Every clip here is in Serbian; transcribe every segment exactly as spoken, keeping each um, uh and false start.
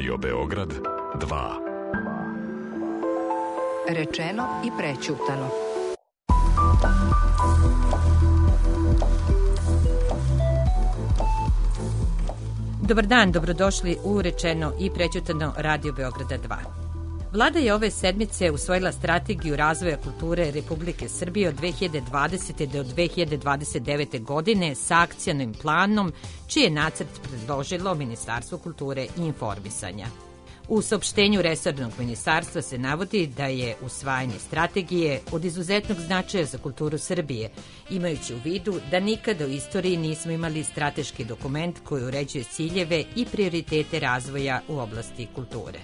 Radio Beograd dva. Rečeno i prećutano. Dobar dan, dobrodošli u Rečeno i prećutano Radio Beograda dva. Vlada je ove sedmice usvojila strategiju razvoja kulture Republike Srbije od dve hiljade dvadesete. do dve hiljade dvadeset devete. godine sa akcionim planom, čiji je nacrt predložilo Ministarstvo kulture i informisanja. U saopštenju resornog ministarstva se navodi da je usvajanje strategije od izuzetnog značaja za kulturu Srbije, imajući u vidu da nikada u istoriji nismo imali strateški dokument koji uređuje ciljeve i prioritete razvoja u oblasti kulture.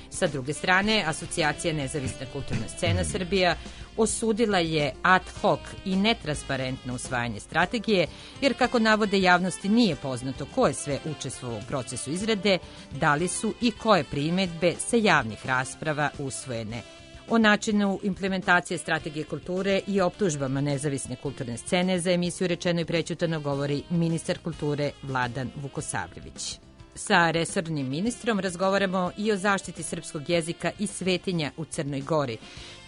Sa druge strane, Asocijacija Nezavisna kulturna scena Srbija osudila je ad hoc i netransparentno usvajanje strategije, jer kako navode javnosti nije poznato ko je sve učestvovao u procesu izrade, da li su i koje primedbe sa javnih rasprava usvojene. O načinu implementacije strategije kulture i optužbama Nezavisne kulturne scene za emisiju Rečeno i prećutano govori ministar kulture Vladan Vukosavljević. Sa resornim ministrom razgovaramo i o zaštiti srpskog jezika i svetinja u Crnoj Gori.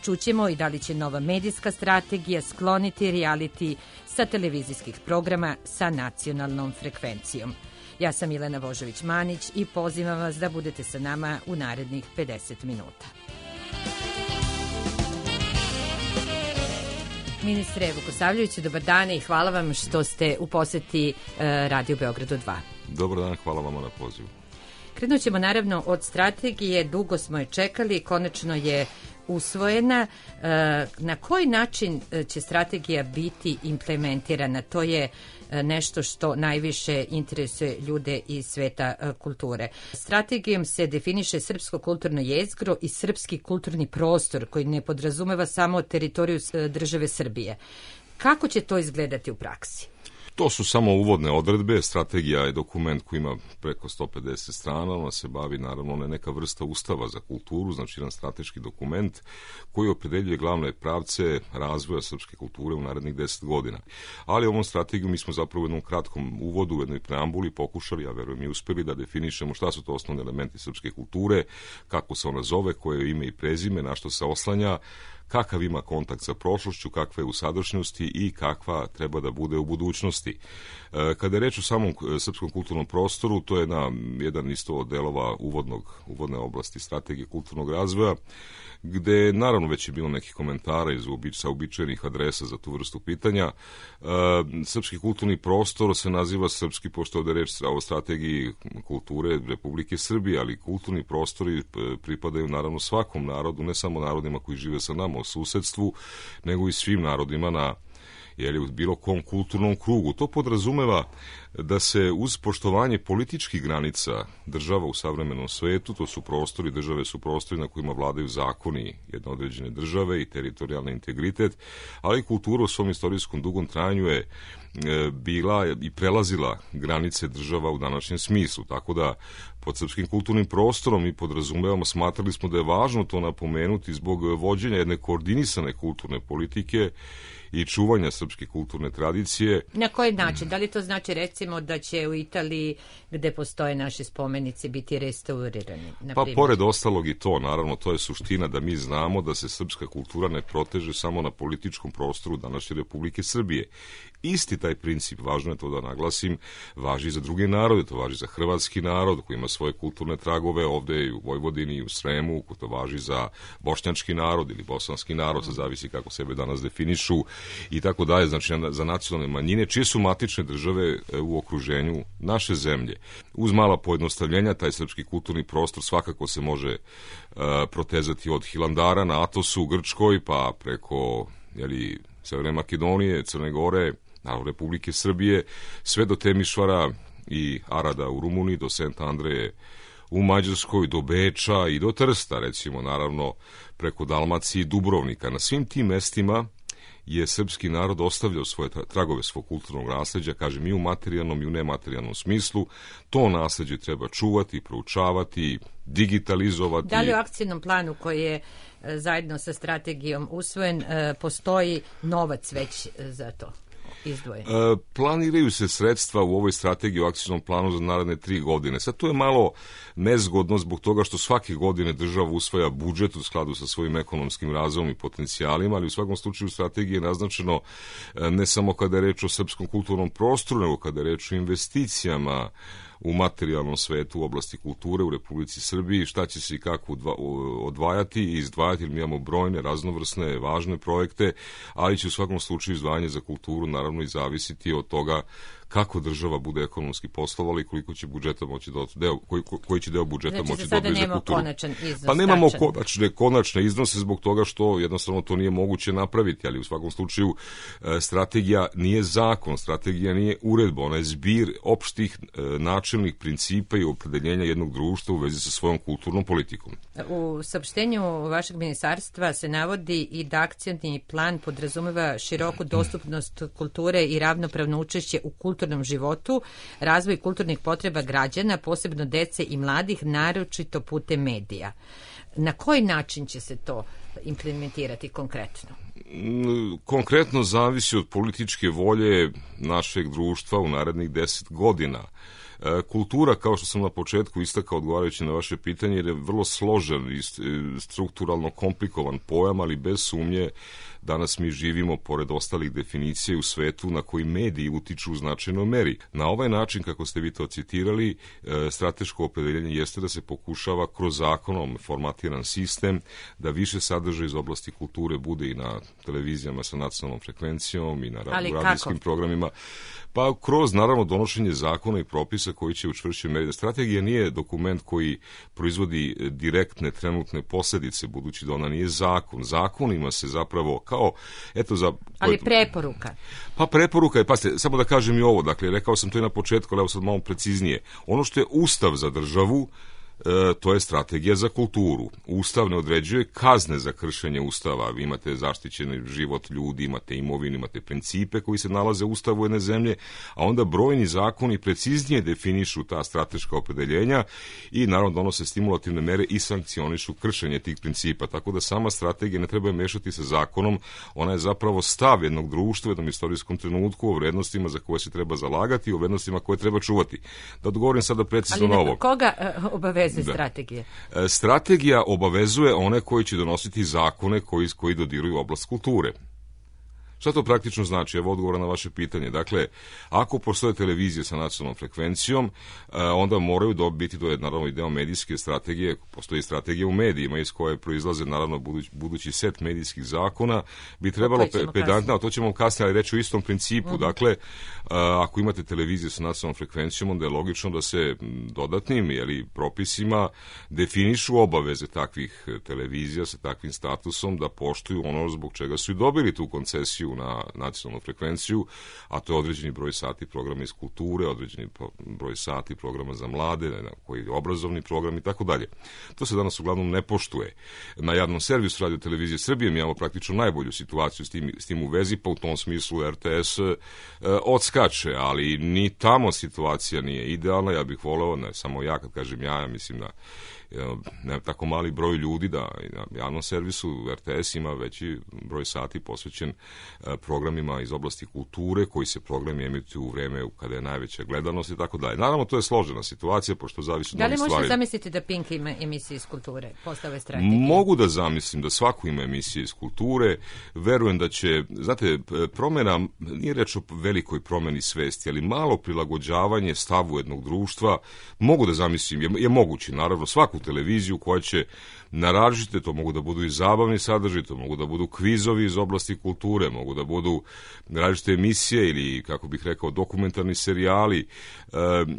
Čućemo i da li će nova medijska strategija skloniti reality sa televizijskih programa sa nacionalnom frekvencijom. Ja sam Milena Vožović-Manić i pozivam vas da budete sa nama u narednih pedeset minuta. Ministre Vukosavljeviću, dobar dan i hvala vam što ste u poseti Radio Beogradu dva. Dobar dan, hvala vam na pozivu. Krenut ćemo naravno od strategije, dugo smo je čekali, konačno je usvojena. Na koji način će strategija biti implementirana? To je nešto što najviše interesuje ljude iz sveta kulture. Strategijom se definiše srpsko kulturno jezgro i srpski kulturni prostor koji ne podrazumeva samo teritoriju države Srbije. Kako će to izgledati u praksi? To su samo uvodne odredbe. Strategija je dokument koji ima preko sto pedeset strana, ona se bavi naravno ne neka vrsta ustava za kulturu, znači jedan strateški dokument koji opredeljuje glavne pravce razvoja srpske kulture u narednih deset godina. Ali ovom strategiju mi smo zapravo u jednom kratkom uvodu, u jednoj preambuli pokušali, ja verujem i uspeli da definišemo šta su to osnovni elementi srpske kulture, kako se ona zove, koje je ime i prezime, na što se oslanja, kakav ima kontakt sa prošlošću, kakva je u sadašnjosti i kakva treba da bude u budućnosti. Kada je reč o samom srpskom kulturnom prostoru, to je jedna, jedan isto od delova uvodnog, uvodne oblasti strategije kulturnog razvoja, gde naravno već je bilo nekih komentara iz sa uobičajenih adresa za tu vrstu pitanja. Srpski kulturni prostor se naziva srpski, pošto ovde reč o strategiji kulture Republike Srbije, ali kulturni prostori pripadaju naravno svakom narodu, ne samo narodima koji žive sa nama u susedstvu, nego i svim narodima na jer u bilo kom kulturnom krugu. To podrazumeva da se uz poštovanje političkih granica država u savremenom svetu, to su prostori, države su prostori na kojima vladaju zakoni jedne određene države i teritorijalni integritet, ali kultura u svom istorijskom dugom trajanju je bila i prelazila granice država u današnjem smislu, tako da pod srpskim kulturnim prostorom mi podrazumevamo, smatrali smo da je važno to napomenuti zbog vođenja jedne koordinisane kulturne politike i čuvanja srpske kulturne tradicije. Na koji način? Da li to znači recimo da će u Italiji gde postoje naše spomenice biti restaurirani? Pa pored ostalog i to, naravno, to je suština da mi znamo da se srpska kultura ne proteže samo na političkom prostoru današnje Republike Srbije. Isti taj princip, važno je to da naglasim, važi za druge narode, to važi za hrvatski narod koji ima svoje kulturne tragove ovde i u Vojvodini i u Sremu, to važi za bošnjački narod ili bosanski narod, to zavisi kako sebe danas definišu i tako dalje, znači za nacionalne manjine, čije su matične države u okruženju naše zemlje. Uz mala pojednostavljenja, taj srpski kulturni prostor svakako se može uh, protezati od Hilandara na Atosu u Grčkoj, pa preko jeli, Severne Makedonije, Crne Gore, naravno Republike Srbije, sve do Temišvara i Arada u Rumuniji, do Sent Andreje u Mađarskoj, do Beča i do Trsta, recimo, naravno preko Dalmacije i Dubrovnika. Na svim tim mestima je srpski narod ostavljao svoje tragove svog kulturnog nasleđa, kažem, i u materijalnom i u nematerijalnom smislu. To nasleđe treba čuvati, proučavati, digitalizovati. Da li u akcijnom planu koji je zajedno sa strategijom usvojen postoji novac već za to? izdvoje? E, planiraju se sredstva u ovoj strategiji u akcijnom planu za naredne tri godine. Sad to je malo nezgodno zbog toga što svake godine država usvaja budžet u skladu sa svojim ekonomskim razvojem i potencijalima, ali u svakom slučaju strategije je naznačeno ne samo kada je reč o srpskom kulturnom prostoru, nego kada je reč o investicijama u materijalnom svetu u oblasti kulture u Republici Srbiji, šta će se i kako odvajati i izdvajati, jer mi imamo brojne, raznovrsne, važne projekte, ali će u svakom slučaju izdvajanje za kulturu naravno i zavisiti od toga kako država bude ekonomski poslovala i koliko će budžeta moći da deo, koji, koji će deo budžeta znači, moći da odvoji za kulturu. Iznos, pa nemamo konačne, konačne iznose zbog toga što jednostavno to nije moguće napraviti, ali u svakom slučaju e, strategija nije zakon, strategija nije uredba, ona je zbir opštih e, načelnih principa i opredeljenja jednog društva u vezi sa svojom kulturnom politikom. U saopštenju vašeg ministarstva se navodi i da akcioni plan podrazumeva široku dostupnost kulture i ravnopravno učešće u kulturnom kulturnom životu, razvoj kulturnih potreba građana, posebno dece i mladih, naročito putem medija. Na koji način će se to implementirati konkretno? Konkretno zavisi od političke volje našeg društva u narednih deset godina. Kultura, kao što sam na početku istakao odgovarajući na vaše pitanje, je vrlo složen i strukturalno komplikovan pojam, ali bez sumnje danas mi živimo pored ostalih definicija u svetu na koji mediji utiču u značajnoj meri. Na ovaj način, kako ste vi to citirali, strateško opredeljenje jeste da se pokušava kroz zakonom formatiran sistem da više sadržaja iz oblasti kulture bude i na televizijama sa nacionalnom frekvencijom i na radijskim programima. Pa kroz, naravno, donošenje zakona i propisa koji će učvršiti meri. Strategija nije dokument koji proizvodi direktne trenutne posljedice, budući da ona nije zakon. Zakonima se zapravo kao, eto za... Ali preporuka. Pa preporuka je, pasite, samo da kažem i ovo, dakle, rekao sam to i na početku, ali evo sad malo preciznije. Ono što je Ustav za državu, E, to je strategija za kulturu. Ustav ne određuje kazne za kršenje Ustava. Vi imate zaštićeni život ljudi, imate imovinu, imate principe koji se nalaze u Ustavu jedne zemlje, a onda brojni zakoni preciznije definišu ta strateška opredeljenja i naravno donose stimulativne mere i sankcionišu kršenje tih principa. Tako da sama strategija ne treba mešati sa zakonom, ona je zapravo stav jednog društva u jednom istorijskom trenutku o vrednostima za koje se treba zalagati i o vrednostima koje treba čuvati. Da odgovorim sada precizno na ovo. Ali koga uh, obaveza strategije? Da. Strategija obavezuje one koji će donositi zakone koji, koji dodiruju oblast kulture. Šta to praktično znači? Evo odgovora na vaše pitanje. Dakle, ako postoje televizije sa nacionalnom frekvencijom, onda moraju dobiti, to je naravno i deo medijske strategije, postoji strategija u medijima iz koje proizlaze naravno budući, budući set medijskih zakona, bi trebalo pe, pedantno, a to ćemo kasnije, ali reći u istom principu. Mm-hmm. Dakle, ako imate televizije sa nacionalnom frekvencijom, onda je logično da se dodatnim ili propisima definišu obaveze takvih televizija sa takvim statusom da poštuju ono zbog čega su i dobili tu koncesiju na nacionalnu frekvenciju, a to je određeni broj sati programa iz kulture, određeni broj sati programa za mlade, koji je obrazovni program i tako dalje. To se danas uglavnom ne poštuje. Na javnom servisu Radio Televizije Srbije mi imamo praktično najbolju situaciju s tim, s tim u vezi, pa u tom smislu R T S e, odskače, ali ni tamo situacija nije idealna. Ja bih voleo, ne samo ja, kad kažem ja, ja mislim da ne tako mali broj ljudi da na javnom servisu R T S ima veći broj sati posvećen programima iz oblasti kulture, koji se programi emituju u vreme kada je najveća gledanost i tako dalje. Naravno, to je složena situacija, pošto zavisi od mnogih stvari. Da li možete zamisliti da Pink ima emisije iz kulture, postave strategije? Mogu da zamislim da svako ima emisije iz kulture. Verujem da će, znate, promjena, nije reč o velikoj promjeni svesti, ali malo prilagođavanje stavu jednog društva, mogu da zamislim, je, je moguće, naravno, svaku televiziju koja će naražiti, to mogu da budu i zabavni sadržaji, to mogu da budu kvizovi iz oblasti kulture, mogu da budu različite emisije ili, kako bih rekao, dokumentarni serijali. E,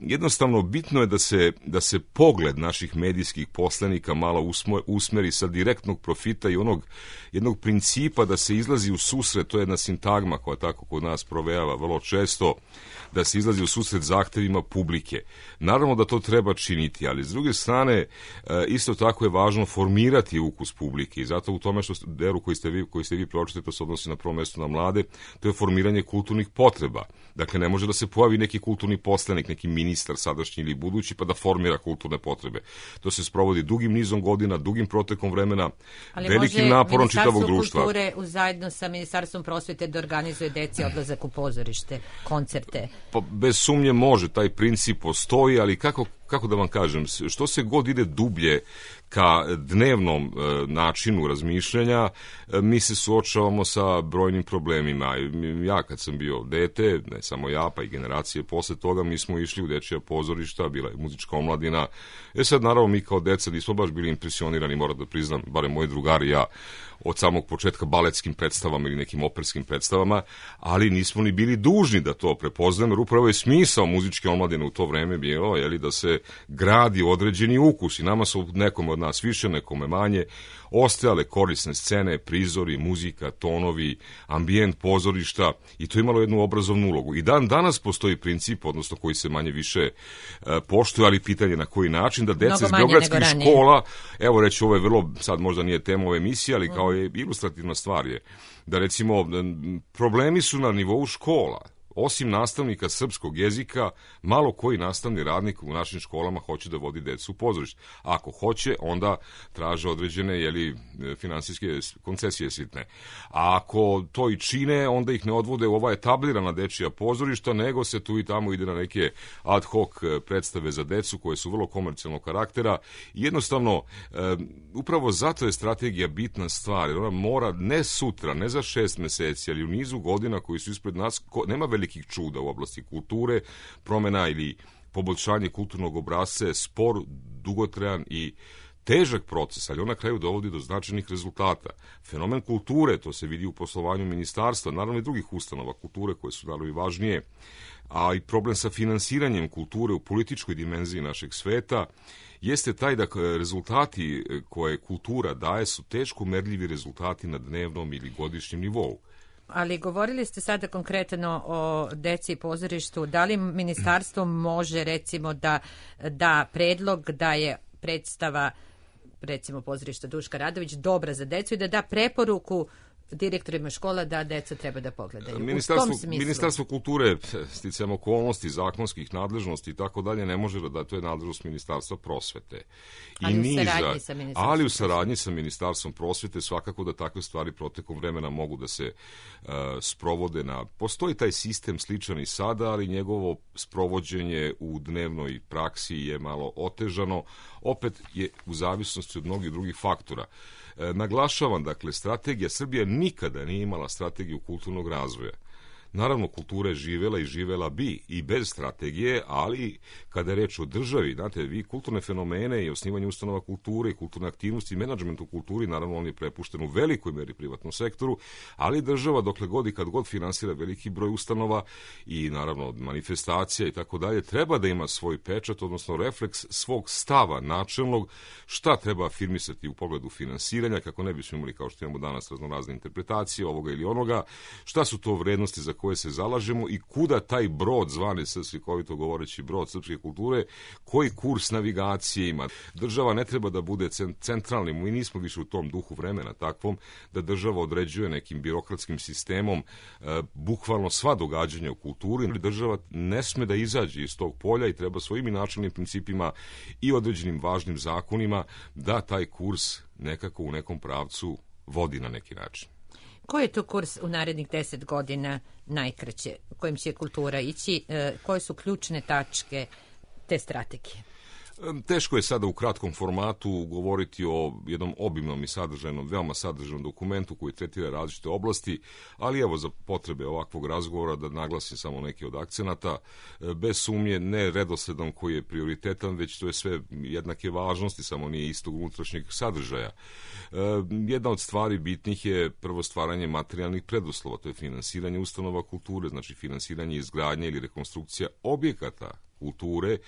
jednostavno, bitno je da se, da se pogled naših medijskih poslanika malo usmo, usmeri sa direktnog profita i onog jednog principa da se izlazi u susret, to je jedna sintagma koja tako kod nas provejava vrlo često, da se izlazi u susret zahtevima publike. Naravno da to treba činiti, ali s druge strane, isto tako je važno formirati ukus publike i zato u tome što delu koji ste vi, koji ste vi pročitali, to se odnosi na prvo mesto na mlade, to je formiranje kulturnih potreba. Dakle, ne može da se pojavi neki kulturni poslanik, neki ministar sadašnji ili budući, pa da formira kulturne potrebe. To se sprovodi dugim nizom godina, dugim protekom vremena, ali velikim naporom čitavog društva. Ali može Ministarstvo kulture zajedno sa Ministarstvom prosvete da organizuje deci odlazak u pozorište, koncerte? Pa bez sumnje može, taj princip postoji, ali kako kako da vam kažem, što se god ide dublje ka dnevnom e, načinu razmišljanja, e, mi se suočavamo sa brojnim problemima. Ja kad sam bio dete, ne samo ja, pa i generacije posle toga, mi smo išli u dečija pozorišta, bila je muzička omladina. E sad, naravno, mi kao deca nismo baš bili impresionirani, moram da priznam, barem moji drugari i ja, od samog početka baletskim predstavama ili nekim operskim predstavama, ali nismo ni bili dužni da to prepoznamo, jer upravo je smisao muzičke omladine u to vreme bilo, jeli, da se gradi određeni ukus i nama su nekome od nas više, nekome manje ostajale korisne scene, prizori, muzika, tonovi, ambijent pozorišta i to je imalo jednu obrazovnu ulogu. I dan danas postoji princip, odnosno koji se manje više e, poštuje, ali pitanje na koji način, da deca iz beogradskih škola, evo reći, ovo je vrlo, sad možda nije tema ove emisije, ali kao je ilustrativna stvar je, da recimo problemi su na nivou škola. Osim nastavnika srpskog jezika, malo koji nastavni radnik u našim školama hoće da vodi decu u pozorište. Ako hoće, onda traže određene jeli, finansijske koncesije sitne. A ako to i čine, onda ih ne odvode u ova etablirana dečija pozorišta, nego se tu i tamo ide na neke ad hoc predstave za decu koje su vrlo komercijalnog karaktera. I jednostavno, e, upravo zato je strategija bitna stvar, jer ona mora ne sutra, ne za šest meseci, ali u nizu godina koji su ispred nas, ko, nema veliki čuda u oblasti kulture, promena ili poboljšanje kulturnog obrasca je spor, dugotrajan i težak proces, ali on na kraju dovodi do značajnih rezultata. Fenomen kulture, to se vidi u poslovanju ministarstva, naravno i drugih ustanova kulture koje su naravno i važnije, a i problem sa finansiranjem kulture u političkoj dimenziji našeg sveta jeste taj da rezultati koje kultura daje su teško merljivi rezultati na dnevnom ili godišnjem nivou. Ali govorili ste sada konkretno o deci i pozorištu. Da li ministarstvo može recimo da da predlog da je predstava recimo pozorišta Duška Radović dobra za decu i da da preporuku direktorima škola da deca treba da pogledaju? Ministarstvo, Ministarstvo kulture, sticajem okolnosti, zakonskih nadležnosti i tako dalje, ne može da to je nadležnost Ministarstva prosvete. I ali, niža, u saradnji sa Ministarstvom ali u saradnji sa Ministarstvom prosvete svakako da takve stvari protekom vremena mogu da se uh, sprovode na... Postoji taj sistem sličan i sada, ali njegovo sprovođenje u dnevnoj praksi je malo otežano. Opet je u zavisnosti od mnogih drugih faktora. E, naglašavam, dakle, strategija Srbija nikada nije imala strategiju kulturnog razvoja. Naravno, kultura je živela i živela bi i bez strategije, ali kada je reč o državi, znate, vi kulturne fenomene i osnivanje ustanova kulture i kulturne aktivnosti i menadžment u kulturi, naravno, on je prepušten u velikoj meri privatnom sektoru, ali država, dokle god i kad god finansira veliki broj ustanova i, naravno, manifestacija i tako dalje, treba da ima svoj pečat, odnosno refleks svog stava načelnog, šta treba afirmisati u pogledu finansiranja, kako ne bismo imali, kao što imamo danas, raznorazne interpretacije ovoga ili onoga, šta su to vrednosti za koje se zalažemo i kuda taj brod, zvani slikovito govoreći brod srpske kulture, koji kurs navigacije ima. Država ne treba da bude centralni, mi nismo više u tom duhu vremena takvom, da država određuje nekim birokratskim sistemom e, bukvalno sva događanja u kulturi. Država ne sme da izađe iz tog polja i treba svojim i načelnim principima i određenim važnim zakonima da taj kurs nekako u nekom pravcu vodi na neki način. Koji je to kurs u narednih deset godina najkraće, kojim će kultura ići? Koje su ključne tačke te strategije? Teško je sada u kratkom formatu govoriti o jednom obimnom i sadržajnom, veoma sadržajnom dokumentu koji tretira različite oblasti, ali evo za potrebe ovakvog razgovora da naglasim samo neki od akcenata, bez sumnje ne redosledom koji je prioritetan, već to je sve jednake važnosti, samo nije istog unutrašnjeg sadržaja. Jedna od stvari bitnih je prvo stvaranje materijalnih preduslova, to je finansiranje ustanova kulture, znači finansiranje izgradnje ili rekonstrukcija objekata kulture.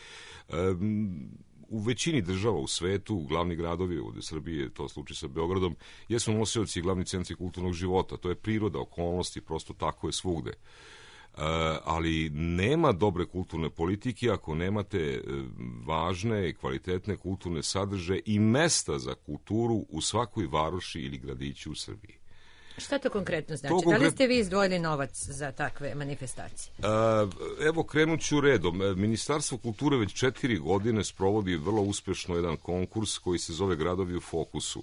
U većini država u svetu, glavni gradovi, ovde Srbije, to slučaj sa Beogradom, jesu nosioci i glavni centri kulturnog života. To je priroda, okolnosti, prosto tako je svugde. ali nema dobre kulturne politike ako nemate važne i kvalitetne kulturne sadržaje i mesta za kulturu u svakoj varoši ili gradiću u Srbiji. Šta to konkretno znači? To konkret... Da li ste vi izdvojili novac za takve manifestacije? Evo, krenut ću redom. Ministarstvo kulture već četiri godine sprovodi vrlo uspešno jedan konkurs koji se zove Gradovi u fokusu.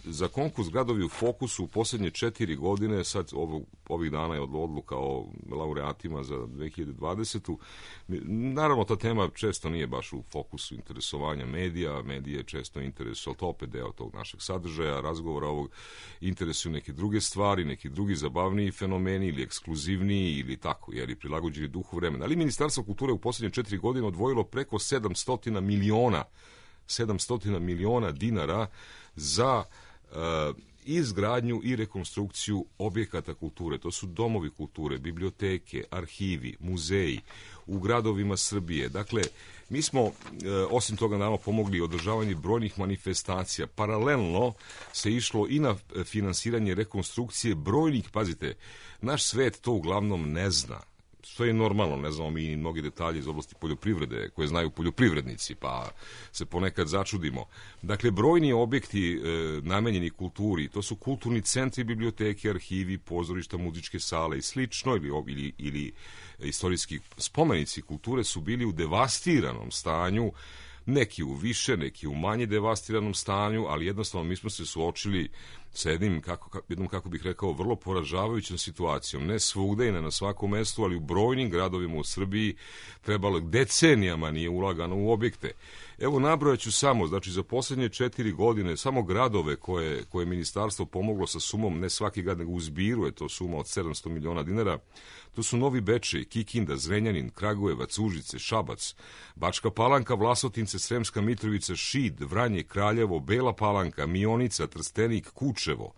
Za konkurs Gradovi u fokusu u posljednje četiri godine, sad ovog, ovih dana je odluka o laureatima za dve hiljade dvadesetu. Naravno, ta tema često nije baš u fokusu interesovanja medija, medije često interesuju, ali to opet deo tog našeg sadržaja, razgovora ovog, interesuju neke druge stvari, neki drugi zabavniji fenomeni ili ekskluzivniji ili tako, jer i prilagođeni duhu vremena. Ali Ministarstvo kulture u posljednje četiri godine odvojilo preko sedamsto miliona sedamsto miliona dinara za uh, izgradnju i rekonstrukciju objekata kulture. To su domovi kulture, biblioteke, arhivi, muzeji u gradovima Srbije. Dakle, mi smo, uh, osim toga, naravno pomogli održavanju brojnih manifestacija. Paralelno se išlo i na finansiranje rekonstrukcije brojnih, pazite, naš svet to uglavnom ne zna. Što je normalno, ne znamo mi i mnogi detalji iz oblasti poljoprivrede koje znaju poljoprivrednici, pa se ponekad začudimo. Dakle, brojni objekti e, namenjeni kulturi, to su kulturni centri, biblioteke, arhivi, pozorišta, muzičke sale i slično, ili, ili, ili istorijski spomenici kulture su bili u devastiranom stanju, neki u više, neki u manje devastiranom stanju, ali jednostavno mi smo se suočili sa jednim, kako, jednom, kako bih rekao, vrlo poražavajućom situacijom. Ne svugde i ne na svakom mestu, ali u brojnim gradovima u Srbiji trebalo decenijama nije ulagano u objekte. Evo, nabrojat ću samo, znači za posljednje četiri godine, samo gradove koje, koje je ministarstvo pomoglo sa sumom, ne svaki grad, nego u zbiru je to suma od sedamsto miliona dinara. To su Novi Bečej, Kikinda, Zrenjanin, Kragujevac, Užice, Šabac, Bačka Palanka, Vlasotince, Sremska Mitrovica, Šid, Vranje, Kraljevo, Bela Palanka, Mionica, Trstenik, Kučevo,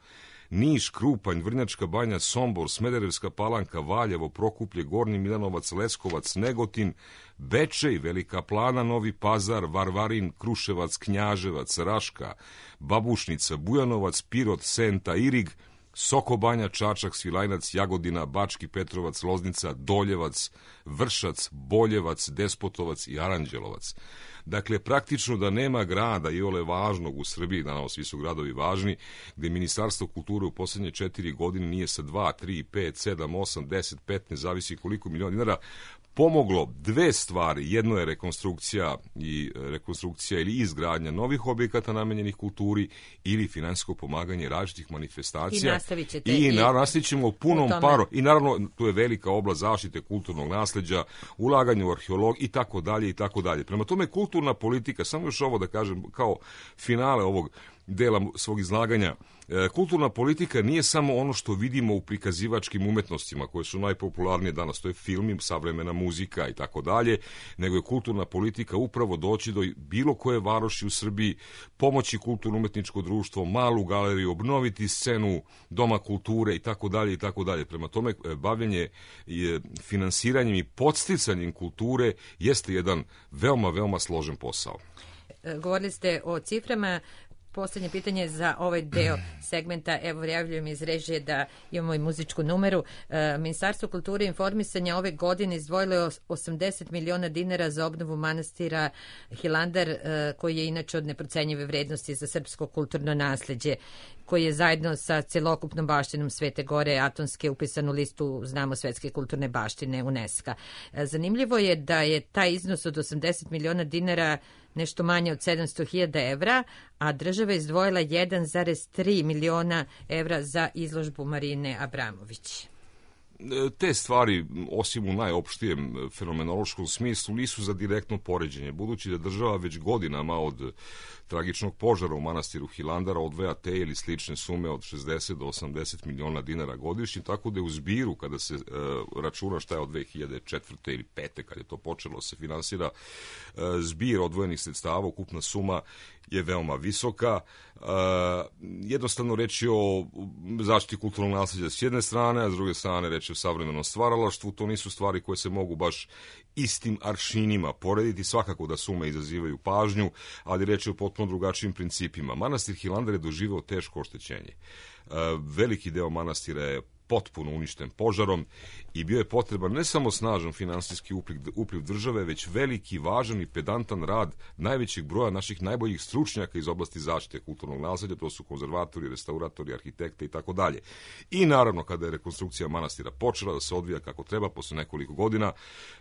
Niš, Krupanj, Vrnjačka Banja, Sombor, Smederevska Palanka, Valjevo, Prokuplje, Gornji Milanovac, Leskovac, Negotin, Bečej, Velika Plana, Novi Pazar, Varvarin, Kruševac, Knjaževac, Raška, Babušnica, Bujanovac, Pirot, Senta, Irig, Sokobanja, Čačak, Svilajnac, Jagodina, Bački Petrovac, Loznica, Doljevac, Vršac, Boljevac, Despotovac i Aranđelovac. Dakle, praktično da nema grada i ole važnog u Srbiji, naravno svi su gradovi važni, gde Ministarstvo kulture u posljednje četiri godine nije sa dva, tri, pet, sedam, osam, deset, petnaest, zavisi koliko miliona dinara, pomoglo dve stvari. Jedno je rekonstrukcija i rekonstrukcija ili izgradnja novih objekata namenjenih kulturi ili finansijsko pomaganje različitih manifestacija. I nastavit ćete. I, i nastavit ćemo punom parom. I naravno, tu je velika oblast zaštite kulturnog nasleđa, ulaganje u arheolog i tako dalje i tako dalje. Prema tome, kulturna politika, samo još ovo da kažem kao finale ovog dela svog izlaganja, kulturna politika nije samo ono što vidimo u prikazivačkim umetnostima koje su najpopularnije danas, to je film, savremena muzika i tako dalje, nego je kulturna politika upravo doći do bilo koje varoši u Srbiji, pomoći kulturno-umetničko društvo, malu galeriju, obnoviti scenu Doma kulture i tako dalje i tako dalje. Prema tome, bavljenje finansiranjem i podsticanjem kulture jeste jedan veoma, veoma složen posao. Govorili ste o ciframa. Posljednje pitanje za ovaj deo segmenta, evo javljujem iz režije da imamo i muzičku numeru. E, Ministarstvo kulture i informisanja ove godine izdvojilo je osamdeset miliona dinara za obnovu manastira Hilandar, e, koji je inače od neprocenjive vrednosti za srpsko kulturno nasleđe, koji je zajedno sa celokupnom baštinom Svete Gore Atonske upisan u listu, znamo, svetske kulturne baštine UNESCO. E, zanimljivo je da je taj iznos od osamdeset miliona dinara nešto manje od sedamsto hiljada evra, a država je izdvojila jedan zarez tri miliona evra za izložbu Marine Abramović. Te stvari, osim u najopštijem fenomenološkom smislu, nisu za direktno poređenje, budući da država već godinama od tragičnog požara u manastiru Hilandara odvaja te ili slične sume od šezdeset do osamdeset miliona dinara godišnje, tako da je u zbiru, kada se e, računa šta je od dve hiljade četvrte ili pete, kad je to počelo se finansira, e, zbir odvojenih sredstava, ukupna suma je veoma visoka. E, jednostavno reći o zaštiti kulturnog nasleđa s jedne strane, a s druge strane reći o savremenom stvaralaštvu, to nisu stvari koje se mogu baš istim aršinima porediti, svakako da sume izazivaju pažnju, ali reč je o potpuno drugačijim principima. Manastir Hilandar je doživeo teško oštećenje. Veliki deo manastira je potpuno uništen požarom i bio je potreban ne samo snažan finansijski upliv, upliv države, već veliki, važan i pedantan rad najvećeg broja naših najboljih stručnjaka iz oblasti zaštite kulturnog nasleđa, to su konzervatori, restauratori, arhitekte i tako dalje. I naravno, kada je rekonstrukcija manastira počela da se odvija kako treba, posle nekoliko godina,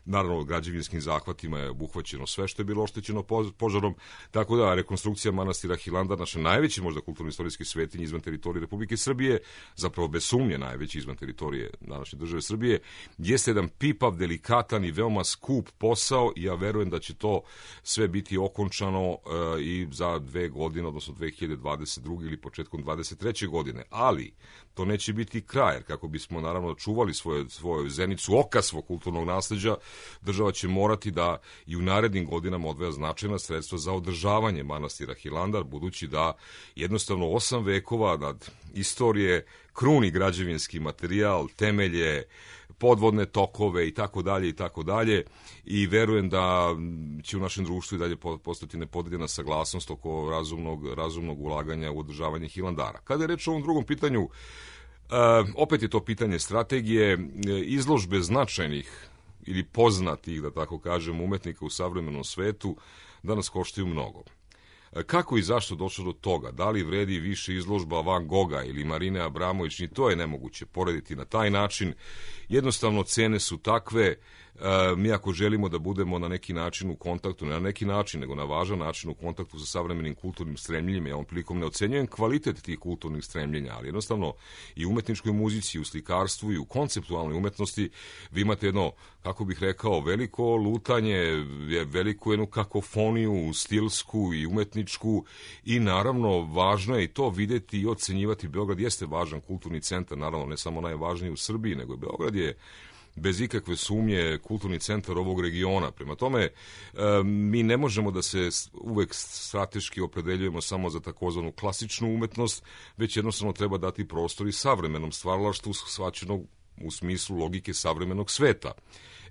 naravno građevinskim zahvatima je obuhvaćeno sve što je bilo oštećeno požarom, tako da rekonstrukcija manastira Hilandar, naše najveće možda kulturno-istorijske svetinje izvan teritorije Republike Srbije, zapravo bez sumnje najveći izvan teritorije današnje države Srbije, jeste jedan pipav, delikatan i veoma skup posao i ja verujem da će to sve biti okončano uh, i za dve godine, odnosno dve hiljade dvadeset druge ili početkom dvadeset treće godine. Ali to neće biti kraj, jer kako bismo naravno čuvali svoje, svoju zenicu oka svog kulturnog nasleđa, država će morati da i u narednim godinama odvaja značajna sredstva za održavanje manastira Hilandar, budući da jednostavno osam vekova nad istorije kruni građevinski materijal, temelje, podvodne tokove i tako dalje i tako dalje i verujem da će u našem društvu i dalje postati nepodeljena saglasnost oko razumnog, razumnog ulaganja u održavanje Hilandara. Kada je reč o ovom drugom pitanju, uh, opet je to pitanje strategije, izložbe značajnih ili poznatih, da tako kažem, umetnika u savremenom svetu danas koštaju mnogo. Kako i zašto došlo do toga? Da li vredi više izložba Van Gogha ili Marine Abramović? Ni to je nemoguće porediti na taj način. Jednostavno, cene su takve. Mi ako želimo da budemo na neki način u kontaktu, ne na neki način, nego na važan način u kontaktu sa savremenim kulturnim stremljenjima, ja ovom prilikom ne ocenjujem kvalitet tih kulturnih stremljenja, ali jednostavno i u umetničkoj muzici, i u slikarstvu, i u konceptualnoj umetnosti vi imate jedno, kako bih rekao, veliko lutanje, veliku jednu kakofoniju, stilsku i umetničku i naravno važno je i to videti i ocenjivati. Beograd jeste važan kulturni centar, naravno ne samo najvažniji u Srbiji, nego je Beograd je bez ikakve sumnje kulturni centar ovog regiona. Prema tome, mi ne možemo da se uvek strateški opredeljujemo samo za takozvanu klasičnu umetnost, već jednostavno treba dati prostor i savremenom stvaralaštvu shvaćenog u smislu logike savremenog sveta.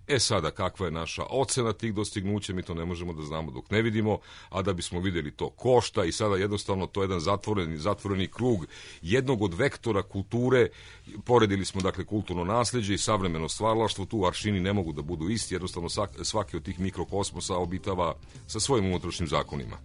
E sada, kakva je naša ocena tih dostignuća, mi to ne možemo da znamo dok ne vidimo, a da bismo videli to košta i sada jednostavno to je jedan zatvoreni, zatvoreni krug jednog od vektora kulture. Poredili smo dakle kulturno nasleđe i savremeno stvaralaštvo, tu aršini ne mogu da budu isti, jednostavno svaki od tih mikrokosmosa obitava sa svojim unutrašnjim zakonima.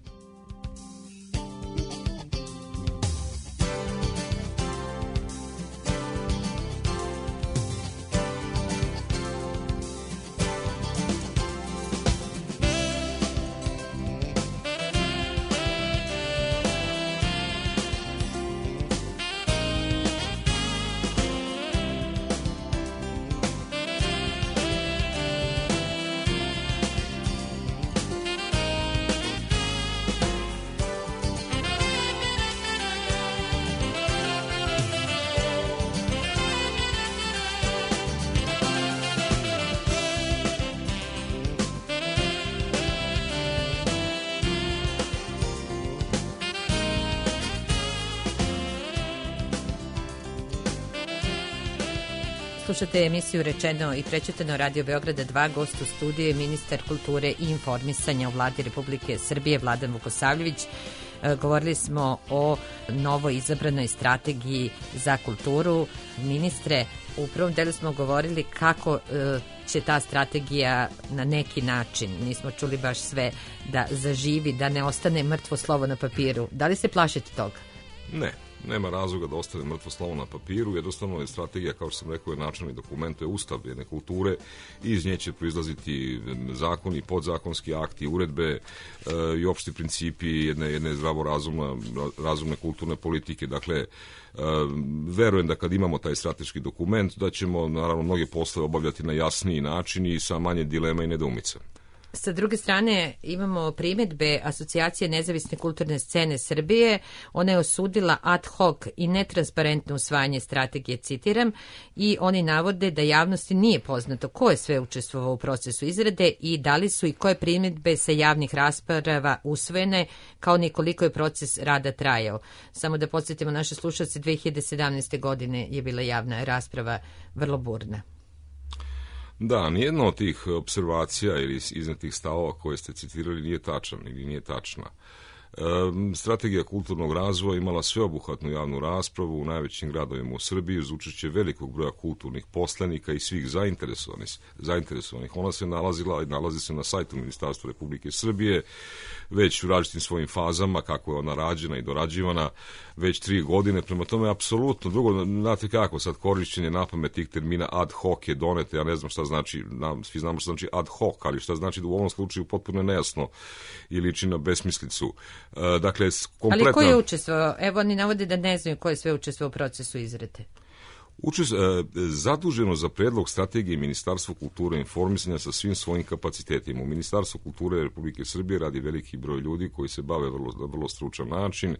Slušate emisiju Rečeno i prećutano Radio Beograda dva, gost u studiju je ministar kulture i informisanja u vladi Republike Srbije Vladan Vukosavljević. Govorili smo o novo izabranoj strategiji za kulturu. Ministre, u prvom delu smo govorili kako će ta strategija na neki način, nismo čuli baš sve, da zaživi, da ne ostane mrtvo slovo na papiru. Da li se plašite toga? Ne. Nema razloga da ostane mrtvo slovo na papiru, jednostavno je strategija, kao što sam rekao, je načelni dokument, to je ustav jedne kulture i iz nje će proizlaziti zakoni, podzakonski akti, uredbe e, i opšti principi jedne, jedne zdravo razumne, razumne kulturne politike. Dakle, e, verujem da kad imamo taj strateški dokument, da ćemo naravno mnoge poslove obavljati na jasniji način i sa manje dilema i nedoumica. Sa druge strane imamo primedbe Asocijacije nezavisne kulturne scene Srbije. Ona je osudila ad hoc i netransparentno usvajanje strategije, citiram, i oni navode da javnosti nije poznato ko je sve učestvovao u procesu izrade i da li su i koje primedbe sa javnih rasprava usvojene, kao ni koliko je proces rada trajao. Samo da podsjetimo naše slušalce, dve hiljade sedamnaeste. godine je bila javna rasprava vrlo burna. Da, nijedna od tih observacija ili iznetih stavova koje ste citirali nije tačan ili nije tačna. Strategija kulturnog razvoja imala sveobuhvatnu javnu raspravu u najvećim gradovima u Srbiji uz učešće velikog broja kulturnih poslenika i svih zainteresovanih. zainteresovanih. Ona se nalazila i nalazi se na sajtu Ministarstva Republike Srbije već u različitim svojim fazama, kako je ona rađena i dorađivana već tri godine. Prema tome, apsolutno, drugo, znate kako, sad korišćenje napamet tih termina ad hoc je donete, ja ne znam šta znači, svi znamo šta znači ad hoc, ali šta znači da u ovom slučaju potpuno nejasno i liči na besmislicu. Dakle, kompletno... Ali ko je učestvovao? Evo, oni navode da ne znaju ko je sve učestvovao u procesu izrade. Učest, zaduženo za predlog strategije Ministarstvo kulture i informisanja sa svim svojim kapacitetima. U Ministarstvu kulture Republike Srbije radi veliki broj ljudi koji se bave vrlo, na vrlo stručan način